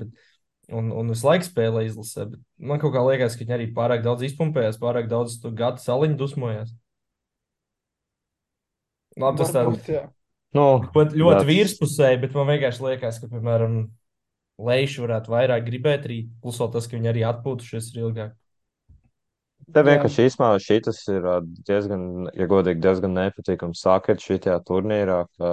A: un visu laiku spēlē izlasē. Bet man kaut kā liekas, ka viņi arī pārāk daudz izpumpējās, pārāk daudz to gata saliņu dusmojās. Labi, tas tā
C: varbūt, jā.
B: Nu,
A: ļoti, ļoti
B: that's,
A: virspusēji, bet man vienkārši liekas, ka, piemēram, Leiši varētu vairāk gribēt rīt. Plus vēl tas, ka viņi arī atpūtušies ir ilgāk.
B: te
C: Jā,
B: vienkārši īsumā šitas ir diezgan, ja godīgi, diezgan nepatīkams sākot šitajā turnīrā, ka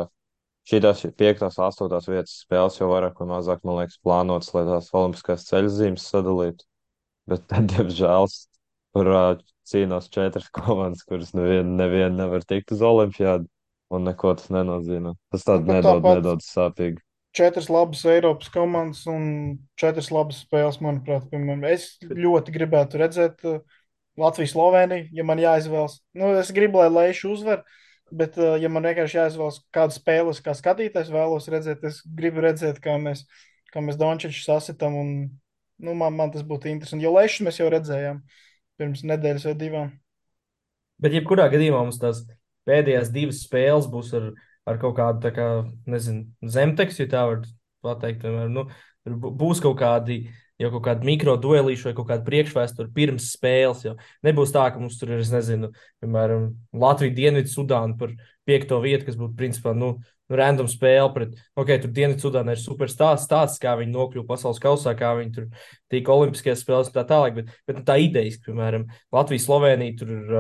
B: šitās piektās, astotās vietas spēles jau vairāk vai mazāk, man liekas, plānotas, lai tās olimpiskās ceļzīmes sadalītu. Bet, tad, diemžēl, tur cīnās četras komandas, kuras neviena nevar tikt uz olimpiādu, un neko tas nenozīmē. Tas
C: nu,
B: tādu
C: bet
B: nedod,
C: tāpat
B: nedod sāpīgi.
C: četras labas Eiropas komandas un četras labas spēles, manuprāt. Piemēram, es ļoti gribētu redzēt Latviju-Sloveniju, ja man jāizvēlas. Nu, es gribu, lai Leiša uzvar, bet, ja man vienkārši jāizvēlas kādu spēli, kā skatītājs vēlos redzēt, es gribu redzēt, kā mēs Dončiču sasitam. Un, nu, man tas būtu interesanti. Jo Leišus mēs jau redzējām pirms nedēļas vai divām.
A: Bet, jebkurā gadījumā mums tās pēdējās divas spēles būs ar kaut kādu, tā kā, nezinu, zemtekstu, ja tā var pateikt. Piemēram, nu, tur būs kaut kādi mikro duelīši vai kaut kāda priekšvēsture pirms spēles. Jau nebūs tā, ka mums tur ir, es nezinu, piemēram, Latvija, Dienvidu Sudāna par piekto vietu, kas būtu principā, nu random spēle pret, ok, tur Dienvidu Sudāna ir super stāsts, kā viņi nokļuva pasaules kausā, kā viņi tur tika olimpiskajās spēlēs un tā tālāk. Bet nu, tā idejas, piemēram, Latvija, Slovenija, tur ir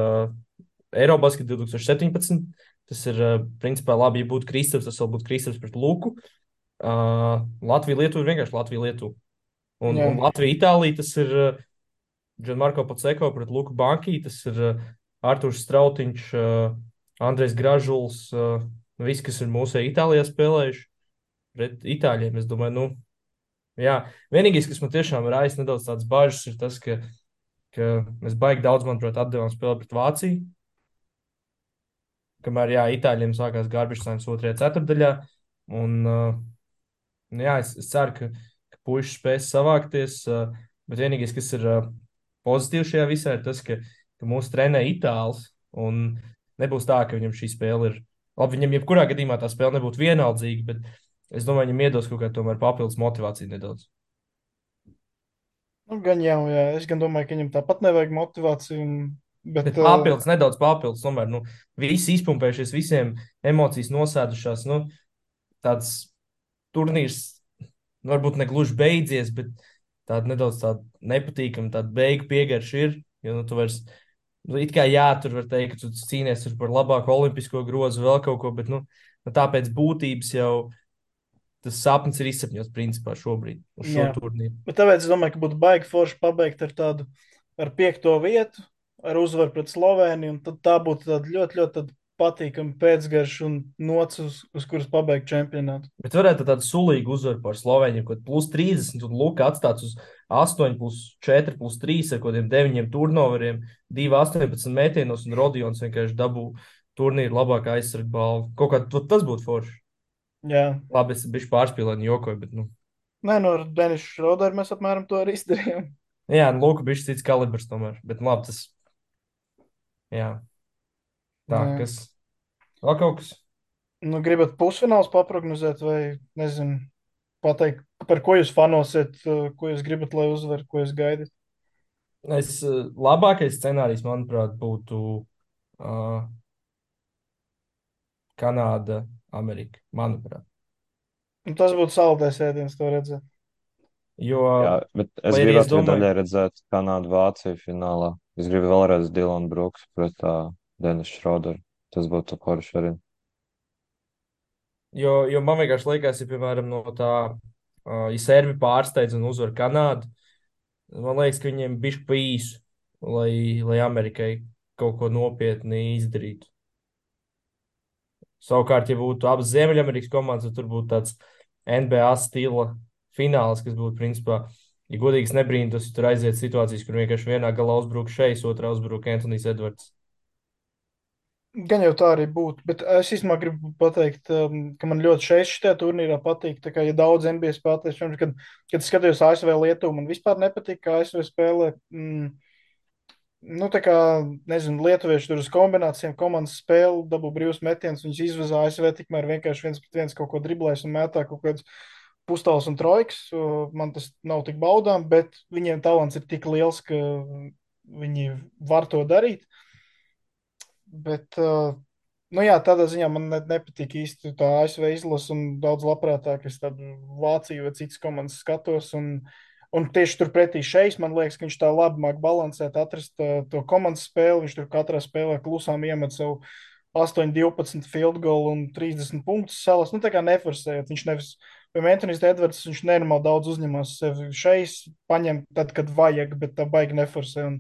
A: Eurobasket 2017. Tas ir, principā, labi, ja būtu Kristaps, tas vēl būtu Kristaps pret Luku. Latvija, Lietuva ir vienkārši Latvija, Lietuva.
C: Jā,
A: Un Latvija, Itālija, tas ir Gianmarko Paceko pret Luku Banki, tas ir Artūrs Strautiņš, Andrejs Gražuls, visi, kas ir mūsu Itālijā spēlējuši pret Itāļiem. Es domāju, nu, jā, vienīgais, kas man tiešām raisa nedaudz tādas bažas, ir tas, ka mēs baigi daudz, manuprāt, atdevām spēli pret Vāciju. Kamēr, jā, Itāļiem sākās garbage time otrajā ceturdaļā. Un, jā, es ceru, ka puiši spēs savākties. Bet vienīgais, kas ir pozitīvs šajā visā, ir tas, ka mūsu trenē itālis. Un nebūs tā, ka viņam šī spēle ir. Labi, viņam jebkurā gadījumā tā spēle nebūtu vienaldzīga, bet es domāju, viņam iedos kaut kādu tomēr papildus motivāciju nedaudz.
C: nu, gan jau, jā. Es gan domāju, ka viņam tāpat nevajag motivāciju. Bet,
A: Bet papildus, nedaudz papildus, tomēr, nu, visi izpumpējušies, visiem emocijas nosēdušās. Nu, tāds turnīrs varbūt ne gluži beidzies, bet tāda nedaudz tāda nepatīkama, tāda beigu piegarša ir. Jo, nu, tu vairs, nu, it kā jā, tur var teikt, ka tu cīnies tur par labāko olimpisko grozu, vēl kaut ko, bet, nu, tāpēc būtības jau tas sapnis ir izsapņots principā šobrīd uz šo
C: jā.
A: turnīru.
C: Bet tāpēc es domāju, ka būtu baigi forši pabeigt ar tādu ar piekto vietu, ar uzvaru pret Sloveniju. Un tad tā būtu tāda ļoti, ļoti tāda patīkama pēcgarša un nots, uz kuras pabeigt čempionātu.
A: Bet varētu tādu sulīgu uzvaru par Sloveniju, kad plus 30, un Luka atstāts uz 8, plus 4, plus 3 ar kaut kādiem 9 turnoveriem, 2, 18 metienos, un Rodions vienkārši dabū turnīru labākā aizsarga balvu. Kaut kā tas būtu forši.
C: Jā,
A: Labi, es biju pārspīlēni jokoju, bet, nu,
C: nē, no Deniša Šrodera mēs apmēram to arī izdarījām.
A: jā, nu, Luka bija cits kalibrs tomēr, bet, nu, labi, tas, jā, tā,
C: Jā.
A: kas, vēl kaut kas.
C: Nu, gribat pusfināls paprognozēt vai, nezinu, pateikt, par ko jūs fanosiet, ko jūs gribat, lai uzvar, ko jūs gaidat?
A: Labākais scenārijs, manuprāt, būtu uh, Kanāda, Amerika, manuprāt.
C: Un tas būtu saldais ēdiens, to redzēt.
A: Jo,
B: Jā, bet es
A: lai arī es
B: gribētu arī
A: domāju,
B: daļai redzēt Kanādu, Vāciju finālā. Es gribu vēlreiz Dilanu Brooks pret Denisu Šroderu. Tas būtu forši arī.
A: jo man vienkārši liekas, ja, piemēram, no tā, ja servi pārsteidz un uzvar Kanādu, man liekas, ka viņiem bišķi pa īsu, lai Amerikai kaut ko nopietni izdarītu. Savukārt, ja būtu abas Ziemeļamerikas komandas, tad tur būtu tāds NBA stila fināls, kas būtu, principā, ja godīgi es nebrīnītos, ja tur aiziet situācijas, kur vienkārši vienā galā uzbruk šeis, otrā uzbruk Antonijs Edvards.
C: Gan jau tā arī būtu, bet es īstenībā gribu pateikt, ka man ļoti šajā turnīrā patīk. Tā kā ja daudz NBA spēlētājs, kad skatījos ASV Lietuvu, man vispār nepatīk, kā ASV spēlē. Nu, tā kā, nezinu, lietuvieši tur uz kombinācijām komandas spēli, dabū brīvs metiens, viņus izvazā ASV, tikmēr vienkārši viens pret viens kaut ko driblēs un mētā kaut kāds pustāls un trojks. Man tas nav tik baudām, bet viņiem talants ir tik liels, ka viņi var to darīt. Bet, nu jā, tādā ziņā man nepatīk īsti tā ASV izlase un daudz labprātāk es tādu Vāciju vai citas komandas skatos. Un tieši turpretī šeit man liekas, ka viņš tā labi māk balansēt, atrast to komandas spēli. Viņš tur katrā spēlē klusām iemet savu 8, 12 field goal un 30 punktus salas. Nu, tā kā neforsējot. Viņš nevis, piemēram, Antonijs Edvards, viņš nenormāli daudz uzņemās sevi šeit, paņem tad, kad vajag, bet tā baigi neforsē. Un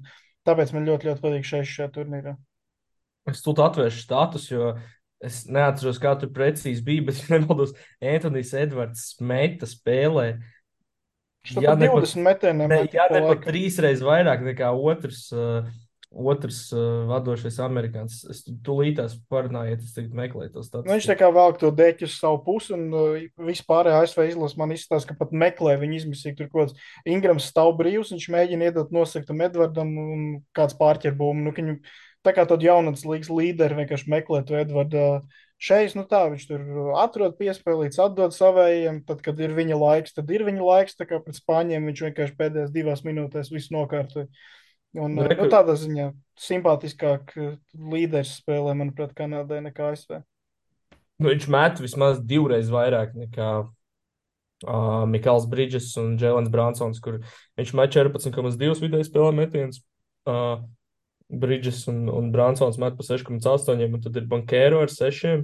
C: tāpēc man ļoti, ļoti patīk šajā turnīrā.
A: Es tur atvēršu status, jo es neatceros, kā tur precīzi bija, bet, ja nemaldos, Antonijs Edvards meta spēlē.
C: Viņš
A: Ja
C: pat
A: ne pat,
C: 20 metieniem
A: ne,
C: metik
A: ja
C: pa
A: ne pat
C: laikam.
A: trīsreiz vairāk nekā otrs vadošais amerikānis. Es tūlītās parunāju, ja es tagad meklēju to
C: Nu, viņš tā
A: statistiku.
C: kā velk to dēķi uz savu pusi, un vispārējā ASV izlase man izstāsta, ka pat meklē viņu izmisīgi. Tur kaut kāds Ingrams stāv brīvs, viņš mēģina iedot nosaktam Edvardam, un kāds pārķer bumbu. Nu, viņu, tā kā tad jaunatnes līgas līderi vienkārši meklē to Edvardu. Šeit, nu tā, viņš tur atrod piespēlīts, atdod savējiem, tad, kad ir viņa laiks, tad ir viņa laiks, tā kā pret Spāņiem viņš vienkārši pēdējās 2 minūtēs visu nokārtoja. Un,
A: Nu,
C: nu,
A: reku,
C: tādā ziņā simpātiskāk līderis spēlē, manuprāt, Kanādai nekā ASV.
A: nu, viņš met vismaz divreiz vairāk nekā Mikls Bridges un Jēlens Bransons, kur viņš met 14,2 vidēji spēlē metiens. Uh, Bridges un Bransons met pa 6,8, un tad ir Bankēro ar 6.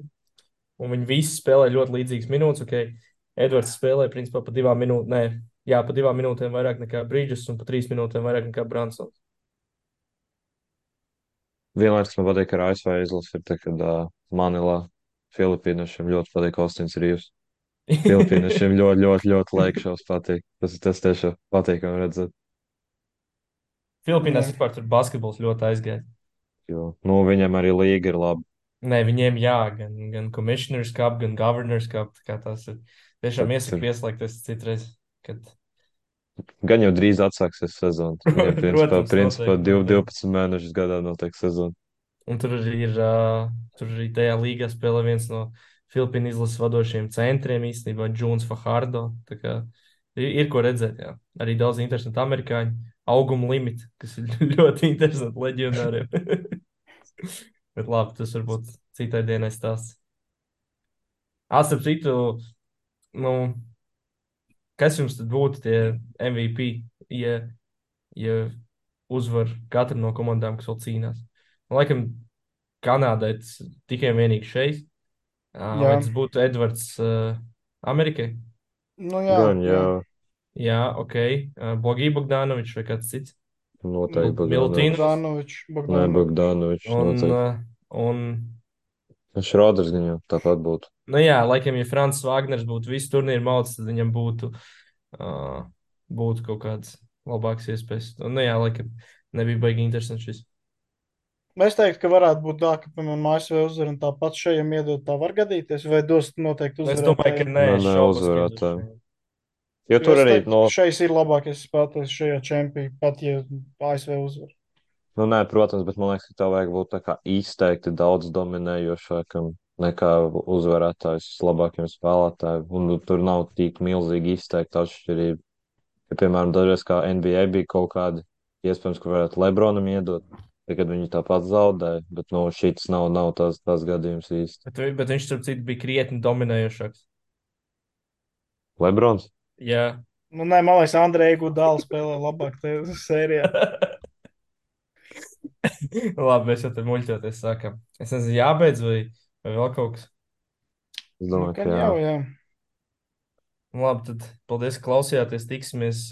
A: Un viņi visi spēlē ļoti līdzīgas minūtes. Okay. Edvards spēlē principā pa 2 minūtēm, ne, jā, pa 2 minūtēm vairāk nekā Bridges un pa 3 minūtēm vairāk nekā Bransons.
B: Vienlaikus man patīk, ka ar ASV izlase ir tā, kad Manilā Filipīniešiem ļoti patīk Ostins Rīvs. Filipīniešiem ļoti, ļoti, ļoti laikšos patīk. Tas tiešām patīkami redzēt.
A: Filipīnās
C: Jā.
A: vispār tur basketbols ļoti aizgājis.
B: Jo, nu, viņam arī līga ir laba.
A: Nē, viņiem jā, gan Commissioners Cup, gan Governors Cup. Tā kā tās ir tiešām
B: Tad
A: iesaka
B: ir,
A: pieslēgties citreiz. Kad...
B: gan jau drīz atsāksies sezona. Viņam
A: Protams,
B: principā
A: noteikti, noteikti.
B: 12 mēnešus gadā notiek sezona.
A: Un tur arī tajā līgā spēlē viens no Filipīnu izlases vadošajiem centriem īstenībā, Džons Fahardo. Tā kā ir ko redzēt, jā. Arī daudz interesantu amerikāņu. Auguma limiti, kas ir ļoti interesanti leģionāriem. Bet labi, tas varbūt citai dienai stāsts. Starp citu, nu, kas jums tad būtu tie MVP, ja uzvar katra no komandām, kas vēl cīnās? Man laikam, Kanādai tas tikai un vienīgi šeit. Vai
C: Jā,
A: tas būtu Edvards Amerikai?
C: nu jā,
B: Gan
C: jā.
B: jau
A: Jā, ok. Bogī Bogdanovičs vai kāds cits?
B: noteikti Bogdanovičs.
A: Miltīnovs.
B: Nē,
C: Bogdanovičs.
B: Bogdanovičs
A: Un,
B: noteikti.
A: un,
B: Šroders gan jau tāpat būtu.
A: nu jā, laikam, ja Francis Wagners būtu visu turnīru mauts, tad viņam būtu kaut kāds labāks iespējas. Un, nu jā, laikam, nebija baigi interesants šis.
C: Es teiktu, ka varētu būt tā, ka, piemēram, ASV uzvar un tāpat šajam iedot, tā var gadīties, vai dos noteikti
A: Es domāju, ka
C: uzvarētājiem.
A: nē,
B: Nē,
A: es
B: nē,
A: šaubos, ka
B: uzvarētājiem.
A: dos.
B: Jo
C: Jo
B: tur
C: es
B: arī,
C: teiktu,
B: no,
C: ka šeit ir labākais spēlētājs šajā čempionā, pat ja ASV uzvar.
B: nu, nē, protams, bet man liekas, ka tev vajag būt tā kā izteikti daudz dominējošākam nekā uzvarētājs labākiem spēlētājiem. Un nu, tur nav tik milzīgi izteikta atšķirība. Ja, piemēram, dažreiz kā NBA bija kaut kādi, iespējams, ka varētu Lebronam iedot, kad viņi tāpat zaudēja, bet no šīs nav tas gadījums īsti.
A: Bet viņš, starp citu, bija krietni dominējošāks.
B: Lebrons?
A: Jā.
C: Nu, nē, man liekas, Andrejs Gudāls spēlē labāk tajā sērijā.
A: Labi, mēs jau te muļķoties sākam. Es nezinu, jābeidz vai vēl kaut kas.
B: Es
C: Nu,
B: domāju,
C: kan
B: ka jā.
C: jau, jā.
A: Nu, labi, tad paldies, ka klausījāties. Tiksimies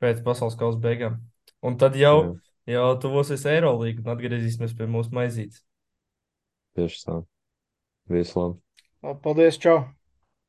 A: pēc pasaules kausa beigām. Un tad
B: Jā,
A: jau tuvosies Eirolīga un atgriezīsimies pie mūsu maizītes.
B: tieši tā. Visu labi.
C: Paldies, čau!